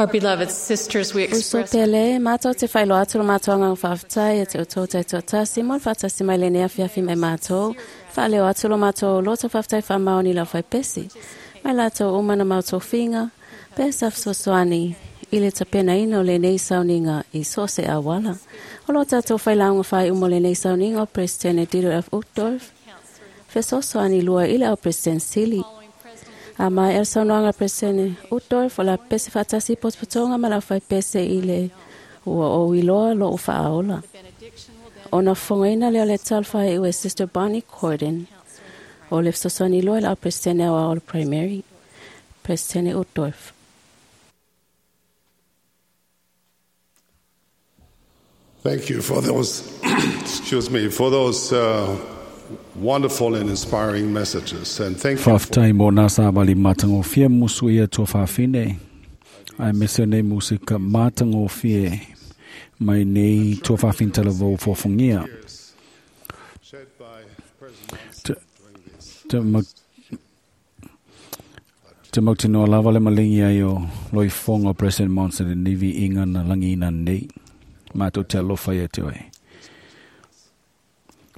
Our beloved sisters, we Uso express pele, mātou te whailo atu lo mātou anga whaaftai e te o tau tōtasi, mo le whaatasi mai le nea fiafi mai mātou, whaaleo atu lo mātou loto whaaftai whaamaoni lau whaipesi. Mai lātou umana mātou finga, pesa fesoasoani i le tapenaina o lenei sauniga i so o se auala. O lo tatou failauga faaiuga o lenei sauniga o Peresetene Dieter F. Uchtdorf, fesoasoani lua i le au Peresetene Sili. A mai el saunoaga Peresetene Uchtdorf o la pese faatasi potopotoga ma lau faipese i le ua ou iloa lou faaola. Ona fofogaina lea o le talofa e ue Sister Bonnie Corden o le fesoasoani lua i le au Peresetene aoao o le Primary, Peresetene Uchtdorf. Thank you for those, excuse me, for those wonderful and inspiring messages. And thank you for Whaftai mō nā sāwali mātangōfia musu ia tō whawhine. Ai mese nei musika mātangōfia mai nei tō whawhine talavou fōfongia. shed by President Te, during this. te, ma, te mautinoa lava le malingi ai o loifonga o President Monson e nivi inga na langi ina nei. Mātou te alofa ia te oe.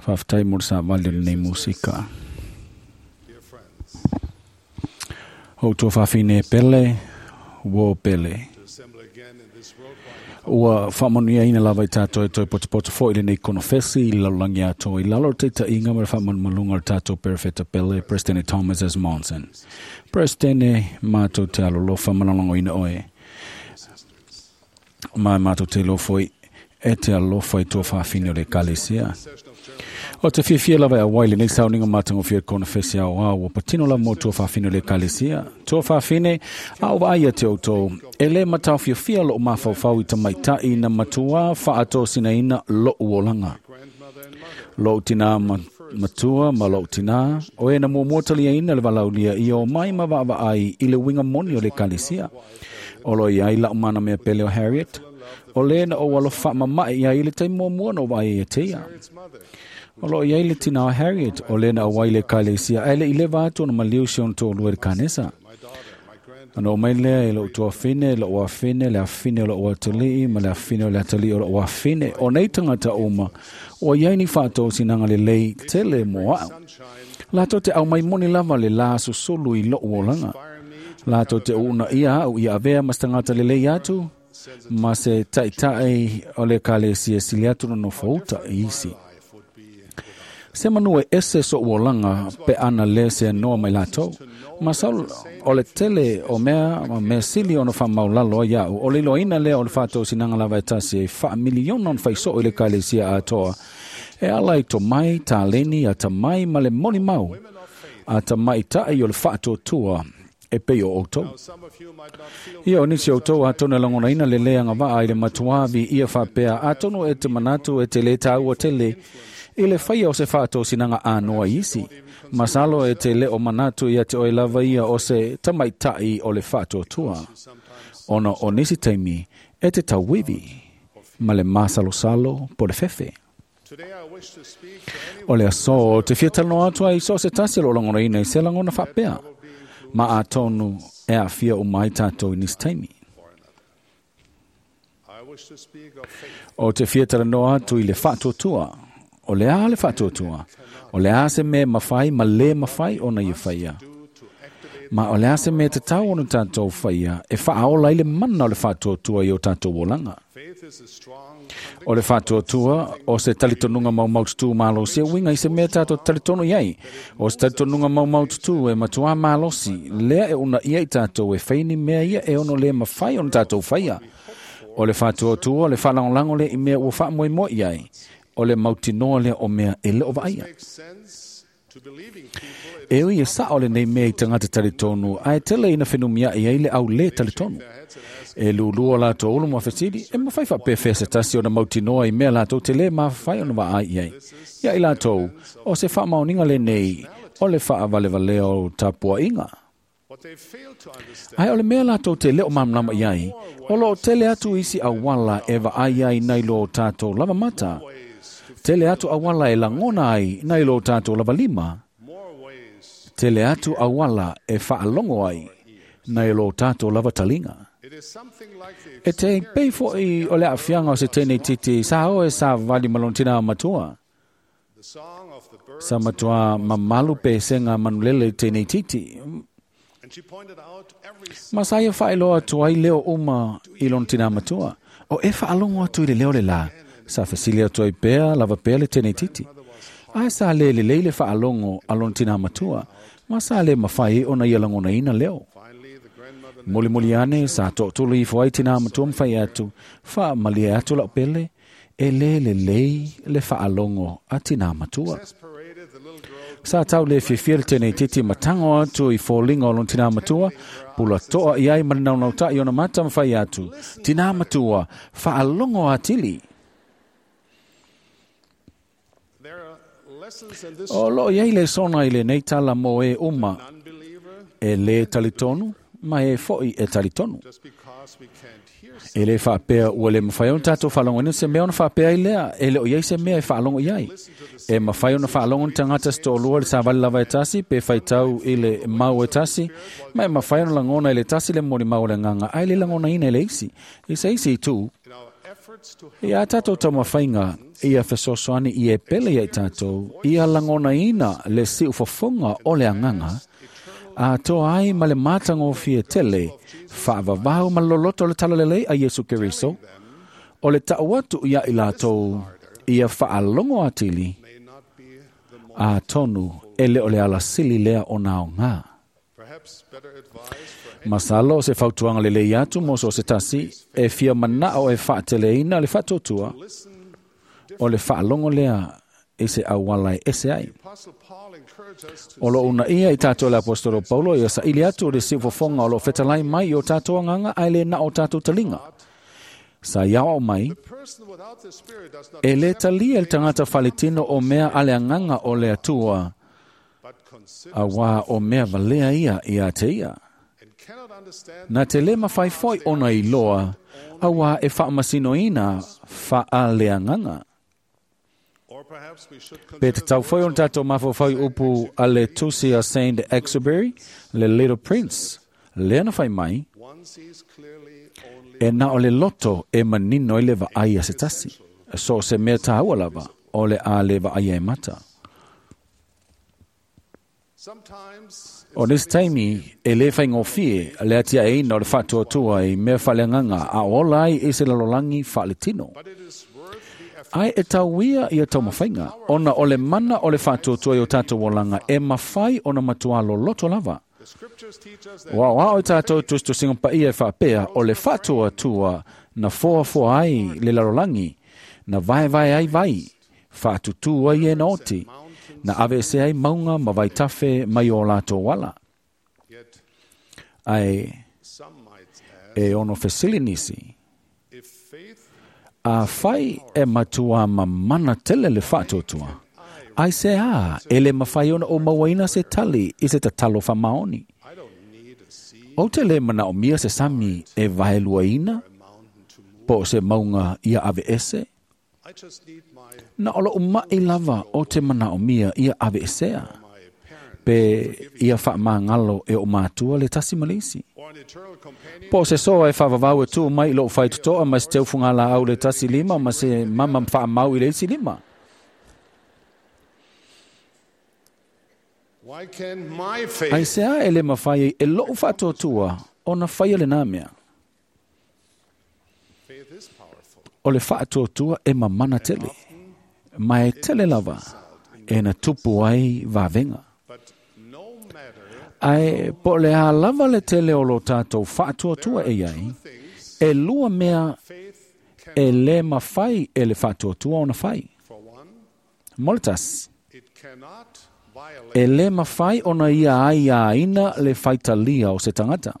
Whaftai mō sāwali o nei musika. Dear friends, Ho tō whawhine pele, wo pele. to assemble again in this worldwide Ua whaamanuia ina lava i tātou e toi potopoto fo i lenei konofesi i lalolangi atoa i lalo o te tainga ma le faamalumaluga o le tatou perefeta pele President Thomas S. Monson. President mātou te alolofa malologoina oe. Ma mātou te lofo i e te alofa i tō whawhine o le ekalesia. O te fiafia lava e awai lenei sauniga matagofie konofesi ao ao ua patino lava mo tō whawhine o le ekalesia. Tō whawhine a o vaai ia te outou. E le mataofiafia loo mafaufau i tamaita'i na matuā whaatosinaina lo'u olaga. Lou tinā matua ma lou tinā, o e na muamua taliaina le valaulia ia o mai ma vaavaai i le uiga moni o le ekalesia. O lo iai la'u mana mea pele o Harriet, o le na ou alofa faamama'i iai i le taimi muamua na ou vaai ia te ia. O lo iai le tina o Harriet, o le na auai le ekalesia, ae le i leva atu ona maliu si ona to'alua i le kanesa. Ana o mai lea e lou tuafine, lou afine, le afine o lou atalii, ma le afine o le atalii o lou afine. O nei tangata uma, ua iai ni faatosinaga lelei tele mo a'u. Latou te au mai moni lava le la susulu i lou olaga. Latou te uuna ia a'u ia avea ma se tagata lelei atu, ma se ta'ita'i o le ekalesia sili atu na nofouta i isi. Se manu e ese so'u olaga pe ana lē se anoa mai latou. Ma sau o le tele o mea ma mea sili ona faamaulalo ai a'u. O le iloaina lea o le faatosinaga lava e tasi e faamiliona ona faisoo i le ekalesia atoa. E ala i tomai, taleni, atamai ma le molimau. A tamaita'i o le faatuatua e pei o outou. Ia o nisi o outou atonu e lagonaina le lē agavaa i le matuāvi ia faapea atonu e te manatu e te lē tāua tele i le faia o se faatosinaga anoa i isi. Masalo e te lē o manatu ia te oe lava ia o se tamaita'i o le faatuatua. Ona o nisi taimi e te tauivi ma le masalosalo po le fefe. Today I wish to speak to anyone O le aso te fia talanoa atu ai so o se tasi o loo lagonaina i se lagona faapea. Ma atonu e aafia uma ai tatou i nisi taimi. I wish to speak of faith. O te fia talanoa atu i le faatuatua. O le a le faatuatua. O le a se mea mafai ma lē mafai ona ia faia. Ma o le a se mea tatau ona tatou faia e faaola ai le mana o le faatuatua i o tatou olaga. Faith is a strong O le faatuatua o se talitonuga maumaututu malosi e uiga i se mea tatou talitonu i ai. O se talitonuga maumaututu e matuā malosi, lea e uunaia i tatou e fai ni mea ia e ono lē mafai ona tatou faia. O le faatuatua o le faalagolago lea i mea ua faamoemoe i ai. O le mautinoa lea o mea e le o vaaia. makes sense to believing people. It E ui e sa'o lenei mea i tagata talitonu, ae tele ina fenumia'i ai le au lē talitonu. E lulua latou ulu ma fesili, e mafai faapefea se tasi ona mautinoa i mea latou te lē mafai ona vaai i ai. Ia i latou, o se faamaoniga lenei, o le faavalevalea o tapua'iga. What they fail to understand Ae o le mea latou te le o malamalama i ai, o loo tele atu isi auala e vaai ai nai lo tatou lava mata. Tele atu auala e lagona ai nai lo tatou lava lima. more ways Tele atu auala e faalogo ai nai lo tatou lava taliga. E te pei fo'i o le aafiaga o se teineitiiti sa o e savavali ma lona tinā matua. Sa matuā mamalu pesega manulele i teineitiiti. Ma sa ia faailoa atu ai leo uma i lona tinā matua. O e faalogo atu i le leo lelā, sa fesili atu ai pea lava pea le teineitiiti. Ae sa lē lelei le faalogo a lona tinā matua, ma sa lē mafai ai ona ia lagonaina leo. Mulimuli ane sa tootulu ifo ai tinā matua ma fai atu, faamalie atu lau pele, e lē lelei le faalogo a tinā matua. Sa tau le fiafia le teineitiiti ma tago atu i foliga o lona tinā matua, pula toa i ai ma le naunautai ona mata ma fai atu, tinā matua, faalogo atili. O loo i ai le sona i lenei tala mo e uma, e lē talitonu, ma e fo'i e talitonu. E lē faapea ua le mafai ona tatou faalogoina se mea ona faapea ai lea, e le o i ai se mea e faalogo i ai. E mafai ona faalogo ni tagata se toalua i le savali lava e tasi, pe faitau i le mau e tasi, ma e mafai ona lagona i le tasi le molimau o le agaga, ae le lagonaina e le isi. I se isi itu, ia tatou taumafaiga ia fesoasoani i e pele ia i tatou, ia lagonaina le siufofoga o le agaga, atoa ai ma le matagofie tele, faavavau ma le loloto o le talalelei a Iesu Keriso, o le tau atu ia i latou ia faalogo atili, atonu e le o le alasili lea o naogā. Masalo o se fautuaga lelei atu mo so o se tasi, e fia manao e faateleina le faatuatua, o le faalogo lea i se auala e ese ai. O loo uunaia i tatou le Apostolo Paulo ia saili atu le siufofoga o loo fetalai mai i o tatou agaga ae lē na o tatou taliga. Sa ia aoao mai, e lē talia le tagata faletino o mea a le agaga o le Atua, auā o mea valea ia ia te ia. Na te lē mafai foi ona iloa, auā e faamasinoina faaleagaga. Pe tatau foi ona tatou mafaufau i upu a le tusi a Saint Exupery, le Little Prince, lea na fai mai, e na o le loto e manino ai le vaai a se tasi. So o se mea tāua lava, o le a le vaaia e mata. O nisi taimi, e lē faigofie le atiaeina o le faatuatua i mea faaleagaga a ola ai i se lalolagi faaletino. Ae e tauia ia taumafaiga, ona o le mana o le faatuatua i o tatou olaga e mafai ona matuā loloto lava. Ua aoao i tatou tusitusiga paia e faapea o le faatuatua na foafoa ai le lalolagi, na vaevae ai vai, faatutū ai e na oti, na aveesea ai mauga ma vaitafe mai o latou ala. Ae e ono fesili nisi, afai e matuā mamana tele le faatuatua, ai se ā e le mafai ona ou mauaina se tali i se tatalo faamaoni. Ou te lē manaomia se sami e vaeluaina, po o se mauga ia aveese. Na o lou ma'i lava o te manaomia ia aveesea, pe ia faamagalo e o matua le tasi ma le isi. Po o se soa e faavavau e tuu mai i lou faitotoa ma se teufugalaau le tasi lima ma se mama faamau i le isi lima. Ai se a e le mafai ai e lou faatuatua ona faia lenā mea. O le faatuatua e mamana tele, ma e tele lava e na tupu ai vavega. Ae po o le a lava le tele o lo tatou faatuatua e iai, e lua mea e lē mafai e le faatuatua ona fai. Mo le tasi, e lē mafai ona ia aiāina le faitalia o se tagata.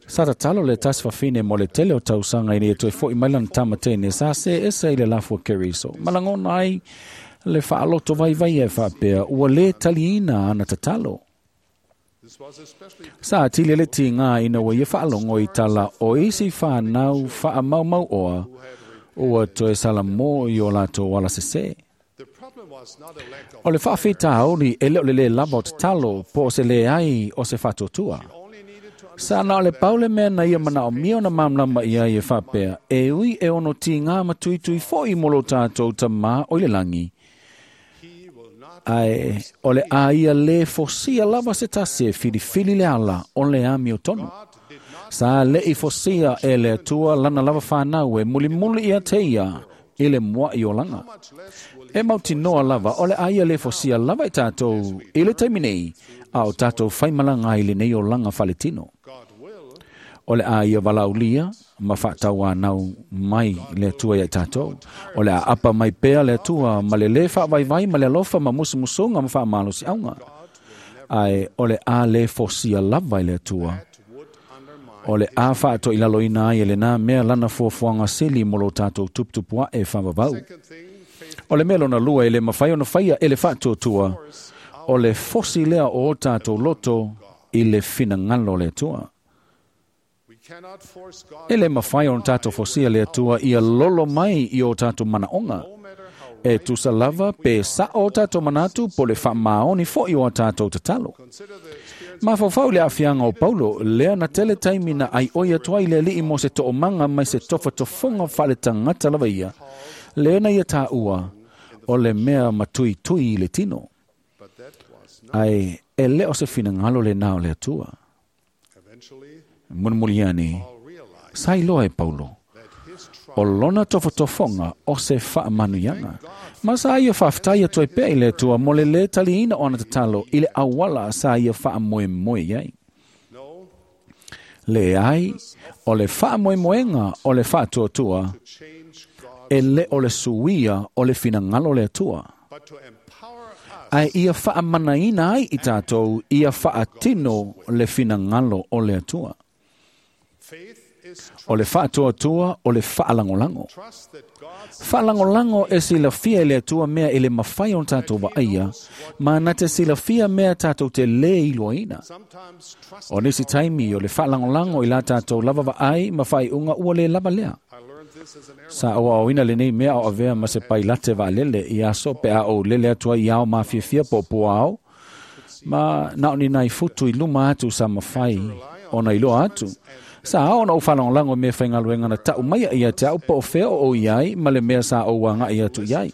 Sa tatalo le tasi fafine mo le tele o tausaga ina ia toe fo'i mai lana tama teine sa se ese i le lafu o Keriso. Ma lagona ai le faaloto vaivaia e faapea ua lē taliina ana tatalo. Sa atili ai le tigā ina ua ia faalogo i tala o isi fanau faamaumauoa ua toe salamō i o latou ala sesē. O le faafitauli e le o le lē lava o tatalo po o se leai o se faatuatua. Sa na o le pau le mea na ia manaomia ona malamalama i ai e faapea, e ui e ono tigā ma tuitui foʻi mo lo tatou Tamā o i le lagi, ae o le a ia lē fosia lava se tasi e filifili le ala o le amiotonu. Sa leʻi fosia e le Atua lana lava fanau e mulimuli ia te ia i le muaʻi olaga. E mautinoa lava o le a ia lē fosia lava i tatou i le taimi nei, a o tatou faimalaga ai lenei olaga faletino. O le a ia valaaulia ma faatauanau mai le Atua ia i tatou. O le a apa mai pea le Atua ma le lē faavaivai ma le alofa ma musumusuga ma faamalosiauga. Ae o le a lē fosia lava i le Atua. O le a faatoilaloina ai e lenā mea lana fuafuaga sili mo lo tatou tuputupu aʻe faavavau. O le mea lona lua e le mafai ona faia e le faatuatua, o le fosi lea o o tatou loto i le finagalo o le Atua. E le mafai ona tatou fosia le Atua ia lolo mai i o tatou manaoga. E tusa lava pe saʻo o tatou manatu po le faamaoni foʻi o a tatou tatalo. Mafaufau le aafiaga o Paulo, lea na tele taimi na aioi atu ai le Alii mo se toomaga mai se tofatofoga faaletagata lava ia, lea na ia taua o le mea matuitui i le tino. Ae e le o se finagalo lenā o le Atua. Mulimuli ane, sa iloa e Paulo, o lona tofotofoga o se faamanuiaga. Ma sa ia faafetai atu ai pea i le Atua mo le lē taliina o ana tatalo i le auala sa ia faamoemoe i ai. Leai, o le faamoemoega o le faatuatua, e le o le suia o le finagalo o le Atua. Ae ia faamanaina ai i tatou ia faatino le finagalo o le Atua. O le faatuatua o le faalagolago. Faalagolago e silafia e le Atua mea e le mafai ona tatou vaaia, ma na te silafia mea tatou te lē iloaina. O nisi taimi o le faalagolago i la tatou lava vaai ma faaiuga ua lē lava lea. Sa ou aoina lenei mea o avea ma se pailate vaalele i aso pe a ou lele atu ai i ao mafiafia po o puao, ma na o ni nai futu i luma atu sa mafai ona iloa atu. Sa ao ona ou faalagolago i mea faigaluega na taʻu mai ia te aʻu po o fea o ou i ai ma le mea sa ou agaʻi atu i ai.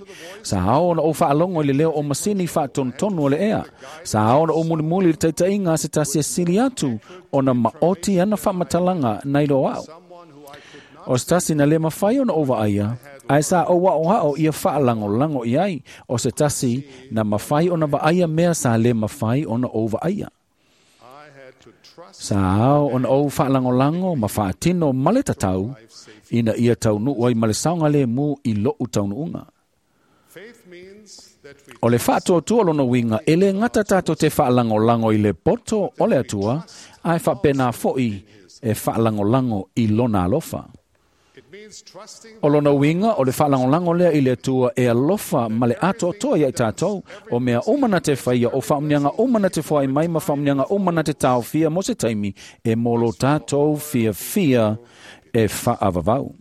Sa ao ona ou faalogo i le leo o masini faatonutonu o le ea. Sa ao ona ou mulimuli i le taitaiga a se tasi e sili atu ona maoti ana faamatalaga na iloa aʻu. O se tasi na le mafai ona ou vaaia, ae sa ou aʻoaʻo ia faalagolago i ai. O se tasi na mafai ona vaaia mea sa le mafai ona ou vaaia. Sa ao ona ou faalagolago ma faatino ma le tatau, ina ia taunuu ai ma le saogalemu i loʻu taunuuga. O le faatuatua lona uiga e lē gata tatou te faalagolago i le poto o le Atua, ae faapena foʻi e faalagolago i lona alofa. O lona uiga o le faalagolago lea i le Atua e alofa ma le atoatoa ia i tatou, o mea uma na te faia, o faamanuiaga uma na te foai mai ma faamanuiaga uma na te taofia mo se taimi e mo lo tatou fiafia e faavavau.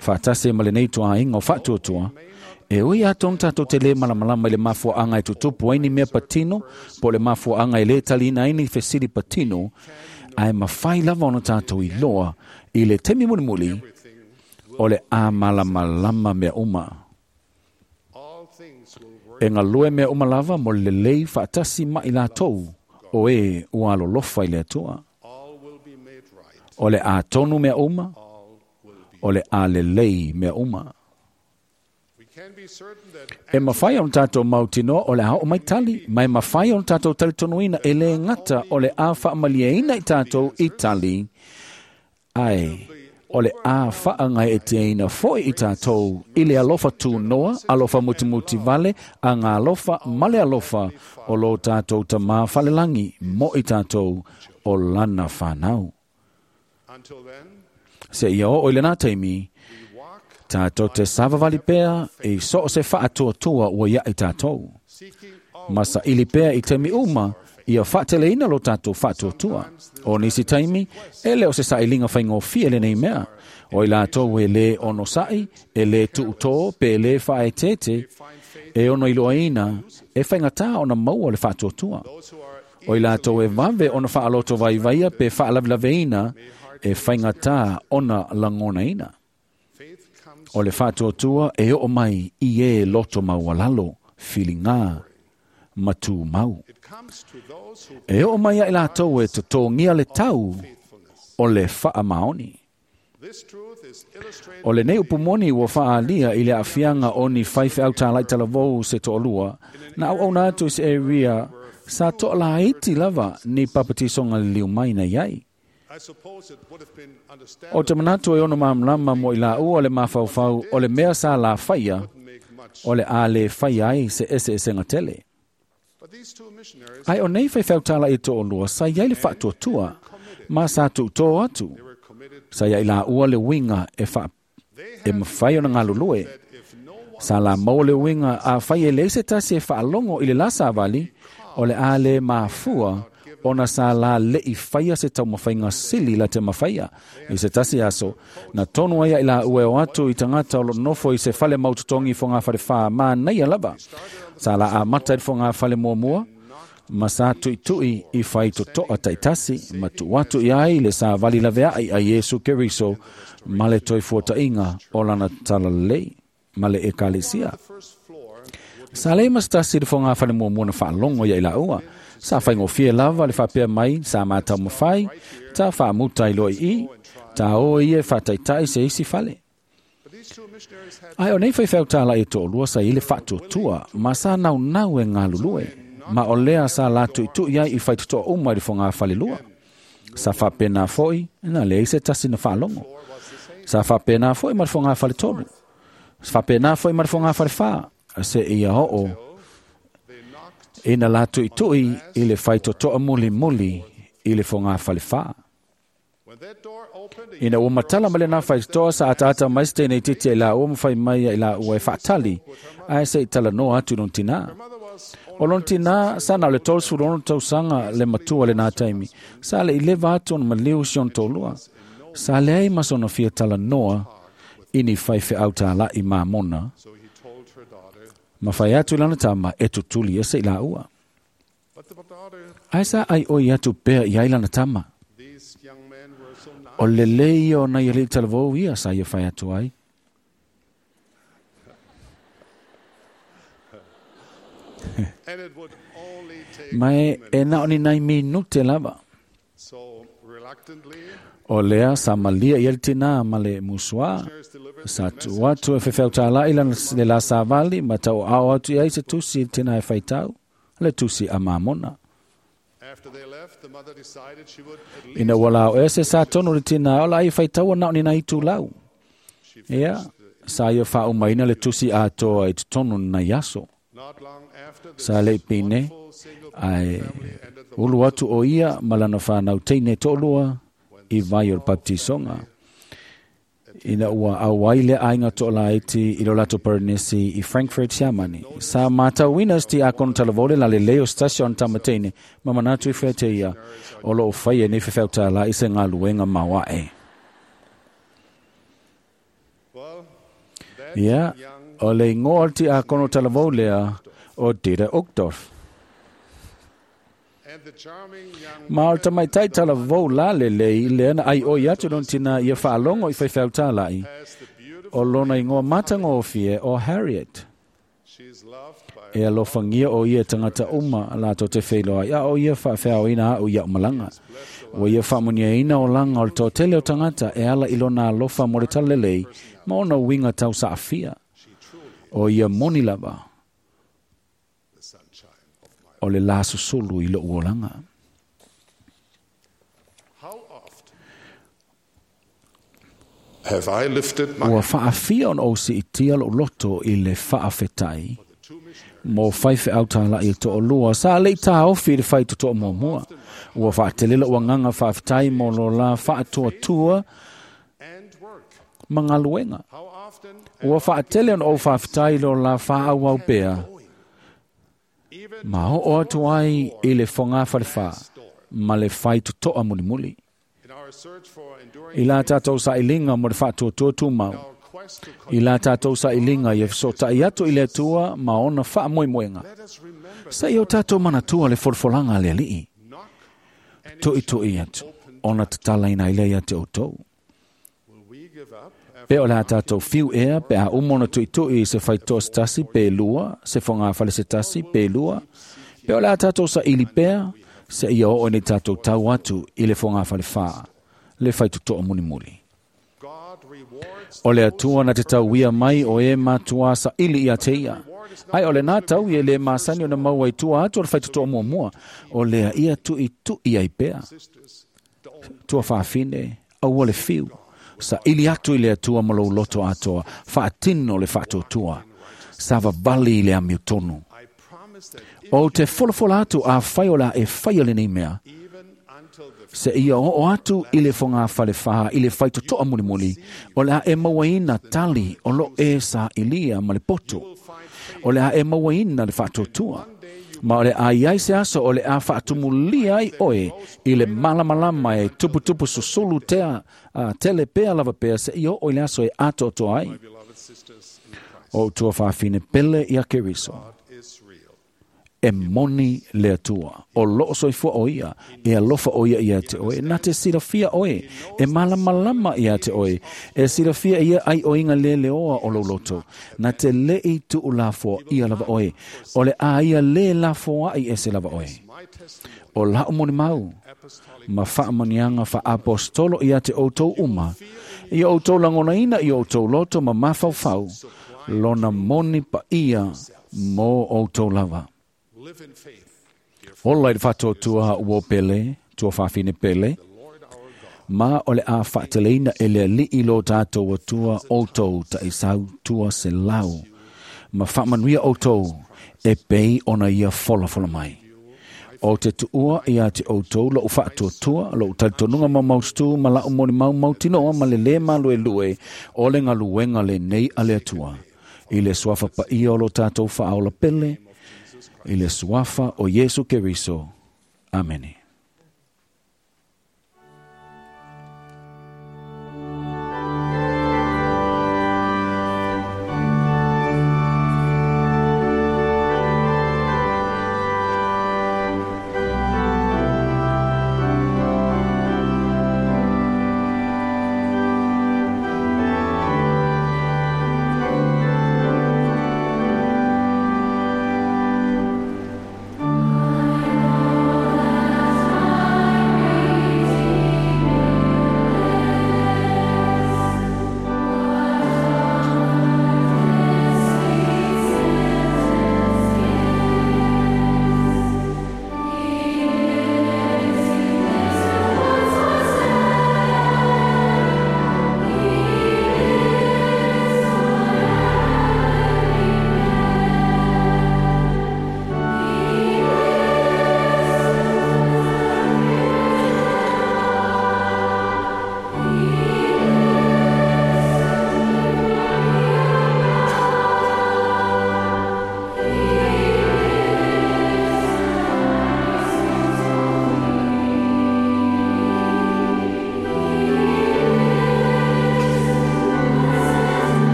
Faatasi ma lenei tuaaiga o faatuatua, e ui atonu tatou te lē malamalama i le mafuaaga e tutupu ai ni mea patino, po o le mafuaaga e lē taliina ai ni fesili patino, ae mafai lava ona tatou iloa i le taimi mulimuli o le a malamalama mea uma. E galue mea uma lava mo le lelei faatasi ma i latou o e ua alolofa i le Atua. O le a tonu mea uma, o le a lelei mea uma. E mafai ona tatou mautinoa o le a oo mai tali, ma e mafai ona tatou talitonuina e lē gata o le a faamalieina i tatou i tali, ae o le a faagaeeteina foʻi i tatou i le alofa tunoa, alofa mutimuti vale, aga alofa ma le alofa o lo tatou Tamā falelagi mo i tatou o lana fanau. Se ia oo i lenā taimi, tatou te savavali pea i so o se faatuatua ua iaʻi tatou. Ma saʻili pea i taimi uma ia faateleina lo tatou faatuatua. O nisi taimi, e le o se saʻiliga faigofie lenei mea. O i latou e lē onosaʻi, e lē tuutō pe e lē faaeteete, e ono iloaina e faigatā ona maua le faatuatua. O i latou e vave ona whaaloto vai vaia pe whaalavilaveina e whaingata ona langonaina. O le whaatuatua e o mai i e loto maualalo, whilinga, matu mau. E o mai ai latou e totongia le tau o le whaamaoni. O le nei upumoni ua whaalia i le afianga o ni whaiwhe au tālai talavou se to'olua, na au au atu i se area sa to'alaiti lava ni papatisonga liu mai na iai. O te manatu e ono mamlama mo i la ua le mafaufau o le mea sa la whaia, o le a le whaia ai se ese ese ngatele. Ai o nei whaiwhau tāla i to'olua sa iai le whaatuatua, ma sa tu'utō atu. Sa iai la ua le winga e wha e mawhai o na ngalulue. Sa la mau le winga a whai e leise tasi e whaalongo i le la savali, o le a le mafua ona sa la le i whaia se tau mawhainga sili la te mawhaia. I se tasi aso, na tonu aia i la ue o atu i tangata o lo nofo i se whale maututongi fo ngā whare whā mā nei lava. Sa la a mata i fo ngā whale mua mua, ma sa tui tui i whai totoa taitasi, ma tu atu i ai le sa vali lavea ai a Yesu Keriso, ma le toi fuatainga o lana talalei, ma le ekalesia. Sa le mastasi le fonga whale mua mua na whaalongo ia i la ua. Sa whaingofie lava le whapea mai, sa mātau mawhai, ta whaamutai loa i, ta o ia whataitai se isi whale. Ai o nei whaiwhau tāla e to'olua sa i le whaatuatua, ma sa nau nau e ngālulue, ma o lea sa la tuitui ai i whaitutoa uma i le fonga whale lua. Sa whapena foi, na le se tasi na whaalongo. Sa whapena foi ma le fonga whale tolu. Sa whapena foi ma le fonga whale wha, se ia ho'o, ina la tuitui i le whaitotoa muli muli i le fonga whale wha. Ina ua matala ma le nā whaitotoa sa ataata mai se tēnei titi i la ua mwhai mai i la ua e whaatali, ai se i tala noa atu non tina. O lon tina, sa na le tolsu lono tausanga le matua le nā taimi, sa le i lewa atu ona maliu si on tōlua. Sa le ai masono fia tala noa ini whaiwhe au tāla i māmona, ma whai atu lana tama e tutuli e se i la ua. Ai sa ai oi atu pea i ai lana tama. O le lei o na ia le talavou ia sa ia whai atu ai. Mai e na oni nai minute lava. O lea sa malia i el tina ma le musua. Sa tu atu e whewhau tāla i le la savali ma tau ao atu i ai se tusi i tina e whaitau. Le tusi a māmona. Ina wala o ese sa tono le tina ola ai whaitau na oni nai tū lau. Ia, sa ia whaaumaina le tusi atoa i tonu na iaso. Sa le pine, ai ulu atu o ia malana whanau teine tōlua i vai o le baptisonga. Ina ua auai le ainga to'ola iti i lo lato Paranesi i Frankfurt, Siamani. Sa mātauina sti a kono talavole la le leo station tamatene, ma manatu i whete ia o lo o whai e nei whewhau tāla i se ngā luenga mawae. Ia, o le ingoa ti a kono talavolea o Dieter Uchtdorf. Ma o tamaitai talavou la lelei lea na ai oi atu lona tina ia faalogo i faifeau tāla'i o lona igoa matagofie o Harriet. E alofagia o ia tagata uma latou te feiloai a o ia faafeaoina a'u ia'u malaga. Ua ia faamuniaina olaga o le toatele o tagata e ala i lona alofa mo le talalelei ma ona uiga tausaafia. O ia moni lava o le la susulu i lo'u olaga. Have I lifted my Ua faafia ona ou siitia lo'u loto i le faafetai mo faifeau tāla'i e to'olua sa le'i tāofi i le faitoto'a muamua. Ua faatele lo'u agaga faafetai mo lo la faatuatua ma galuega. Ua faatele ona ou faafetai lo la faaauau pea ma o'o atu ai i le fogā falefā ma le faitoto'a mulimuli. I la tātou sailiga mo le faatuatua tumau, I la tātou saʻiliga ia fesoʻotaʻi atu i le Atua ma ona faamoemoega. Sa ia o tātou manatua le folafolaga a le Aliʻi. Tuʻituʻi atu, ona tatalaina ai lea ia te outou. Pe o le a tātou fiu ea pe a uma ona tuʻituʻi i se faitoa se tasi pe lua, se fogafale se tasi pe lua, pe o le a tātou saʻili pea, seia oo ina tātou tau atu i le fogafale fā, le faitotoa mulimuli. O le Atua na te tauia mai o e matuā saʻili ia te ia. Ae o lenā tau ia e lē masani ona maua i tua atu o le faitotoa muamua, o lea ia tuʻituʻi ai pea. Tuafafine, aua le fiu, saʻili atu i le Atua ma lou loto atoa, faatino le faatuatua, savavali i le amiotonu. Ou te folafola atu afai o le a e faia lenei mea, seia oo atu i le fogafale fā i le faitotoa mulimuli, o le a e mauaina tali o loo e saʻilia ma le poto. O le a e mauaina le faatuatua. Ma o le a iai se aso o le a faatumulia ai oe i le malamalama e tuputupu susulu tea, tele pea lava pea seia oo i le aso e atoatoa ai. O tuafafine pele ia Keriso. E moni le Atua. O loo soifua o ia, e alofa o ia ia te oe, na te silafia oe, e malamalama ia te oe, e silafia ia ai oinga le leoa o lou loto, na te lei tuu lafoa ia lava oe, o le a ia le lafoa ai e se lava oe. O lau molimau, ma faamaniaga faaapostolo ia te outou uma, ia outou lagonaina i outou loto ma mafaufau, lona moni paia mo outou lava. Ola i le faatuatua ua pele, tuafafine pele, ma o le a faateleina e le Aliʻi lo tātou Atua outou taʻisau tua se lau, ma faamanuia outou e pei ona ia folafola mai. O te tuua ia te outou lou faatuatua, lou talitonuga maumaututu ma lau molimau mautinoa ma le lē maluelue o le galuega lenei a le Atua. I le suafa paia o lo tātou faaola pele, i le suafa o Iesu Keriso. Amene. I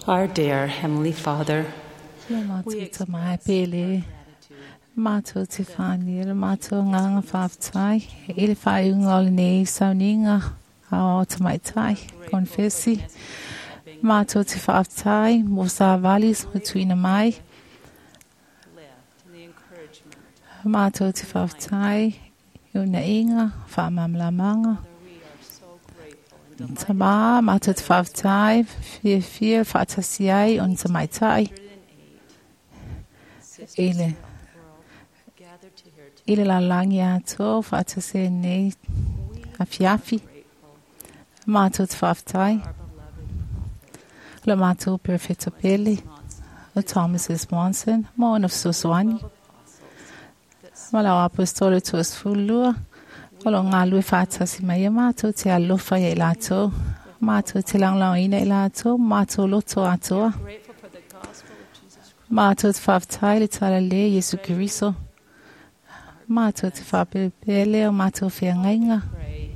Our dear Heavenly Father, Le mātou ta mai pele. Mātou te whāni, le mātou nganga whāwhtai. I le whaiunga o le nei sauninga a o te maitai, konfesi. Mātou te whāwhtai, mō sā valis mo tuina mai. lift and the encouragement. Mātou te whāwhtai, i una inga, whaamamlamanga. We are so grateful and Tamā, mātou te whāwhtai, whia whia, whaatasi ai, on te maitai. I le gathered to hear I le lalangi atoa whaatase nei afiafi. Mātou te whāwhtai. Le mātou perfecto pele. O Thomas S. Monson, mo ona fesoasoani. Ma lau apostolo tuas fulua. O lo ngā lue whaatasi mai e mātou te alofa ia i lātou. Mātou te langlangoina i lātou, mātou loto atoa. grateful for the gospel of Jesus Christ. Mātou te whāwhtai le tala le Yesu Keriso. Mātou te whāpelepele o mātou whiangainga. Pray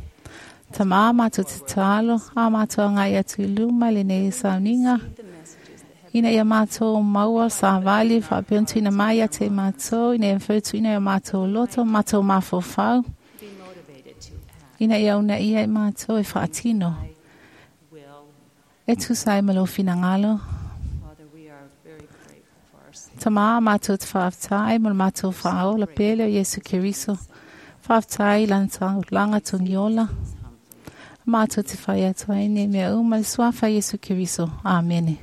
Tamā mātou te talo, a mātou ngai atu i luma le nei sauninga. the messages that have Ina ia mātou maua sa vali whaapeontuina mai a te mātou, ina ia whautuina ia mātou loto, mātou mawhawhau. be motivated to act. Ina ia una ia i mātou e whaatino. Will, E tusa e malo whinangalo. Father, we are very grateful for our Savior. Tamā mātou te whaaftai, mo le mātou whaao, la pele o Yesu Keriso. Whaaftai lanta langa tungiola. Mātou te whai atu ai nei mea uma le suafa Yesu Keriso. Amene.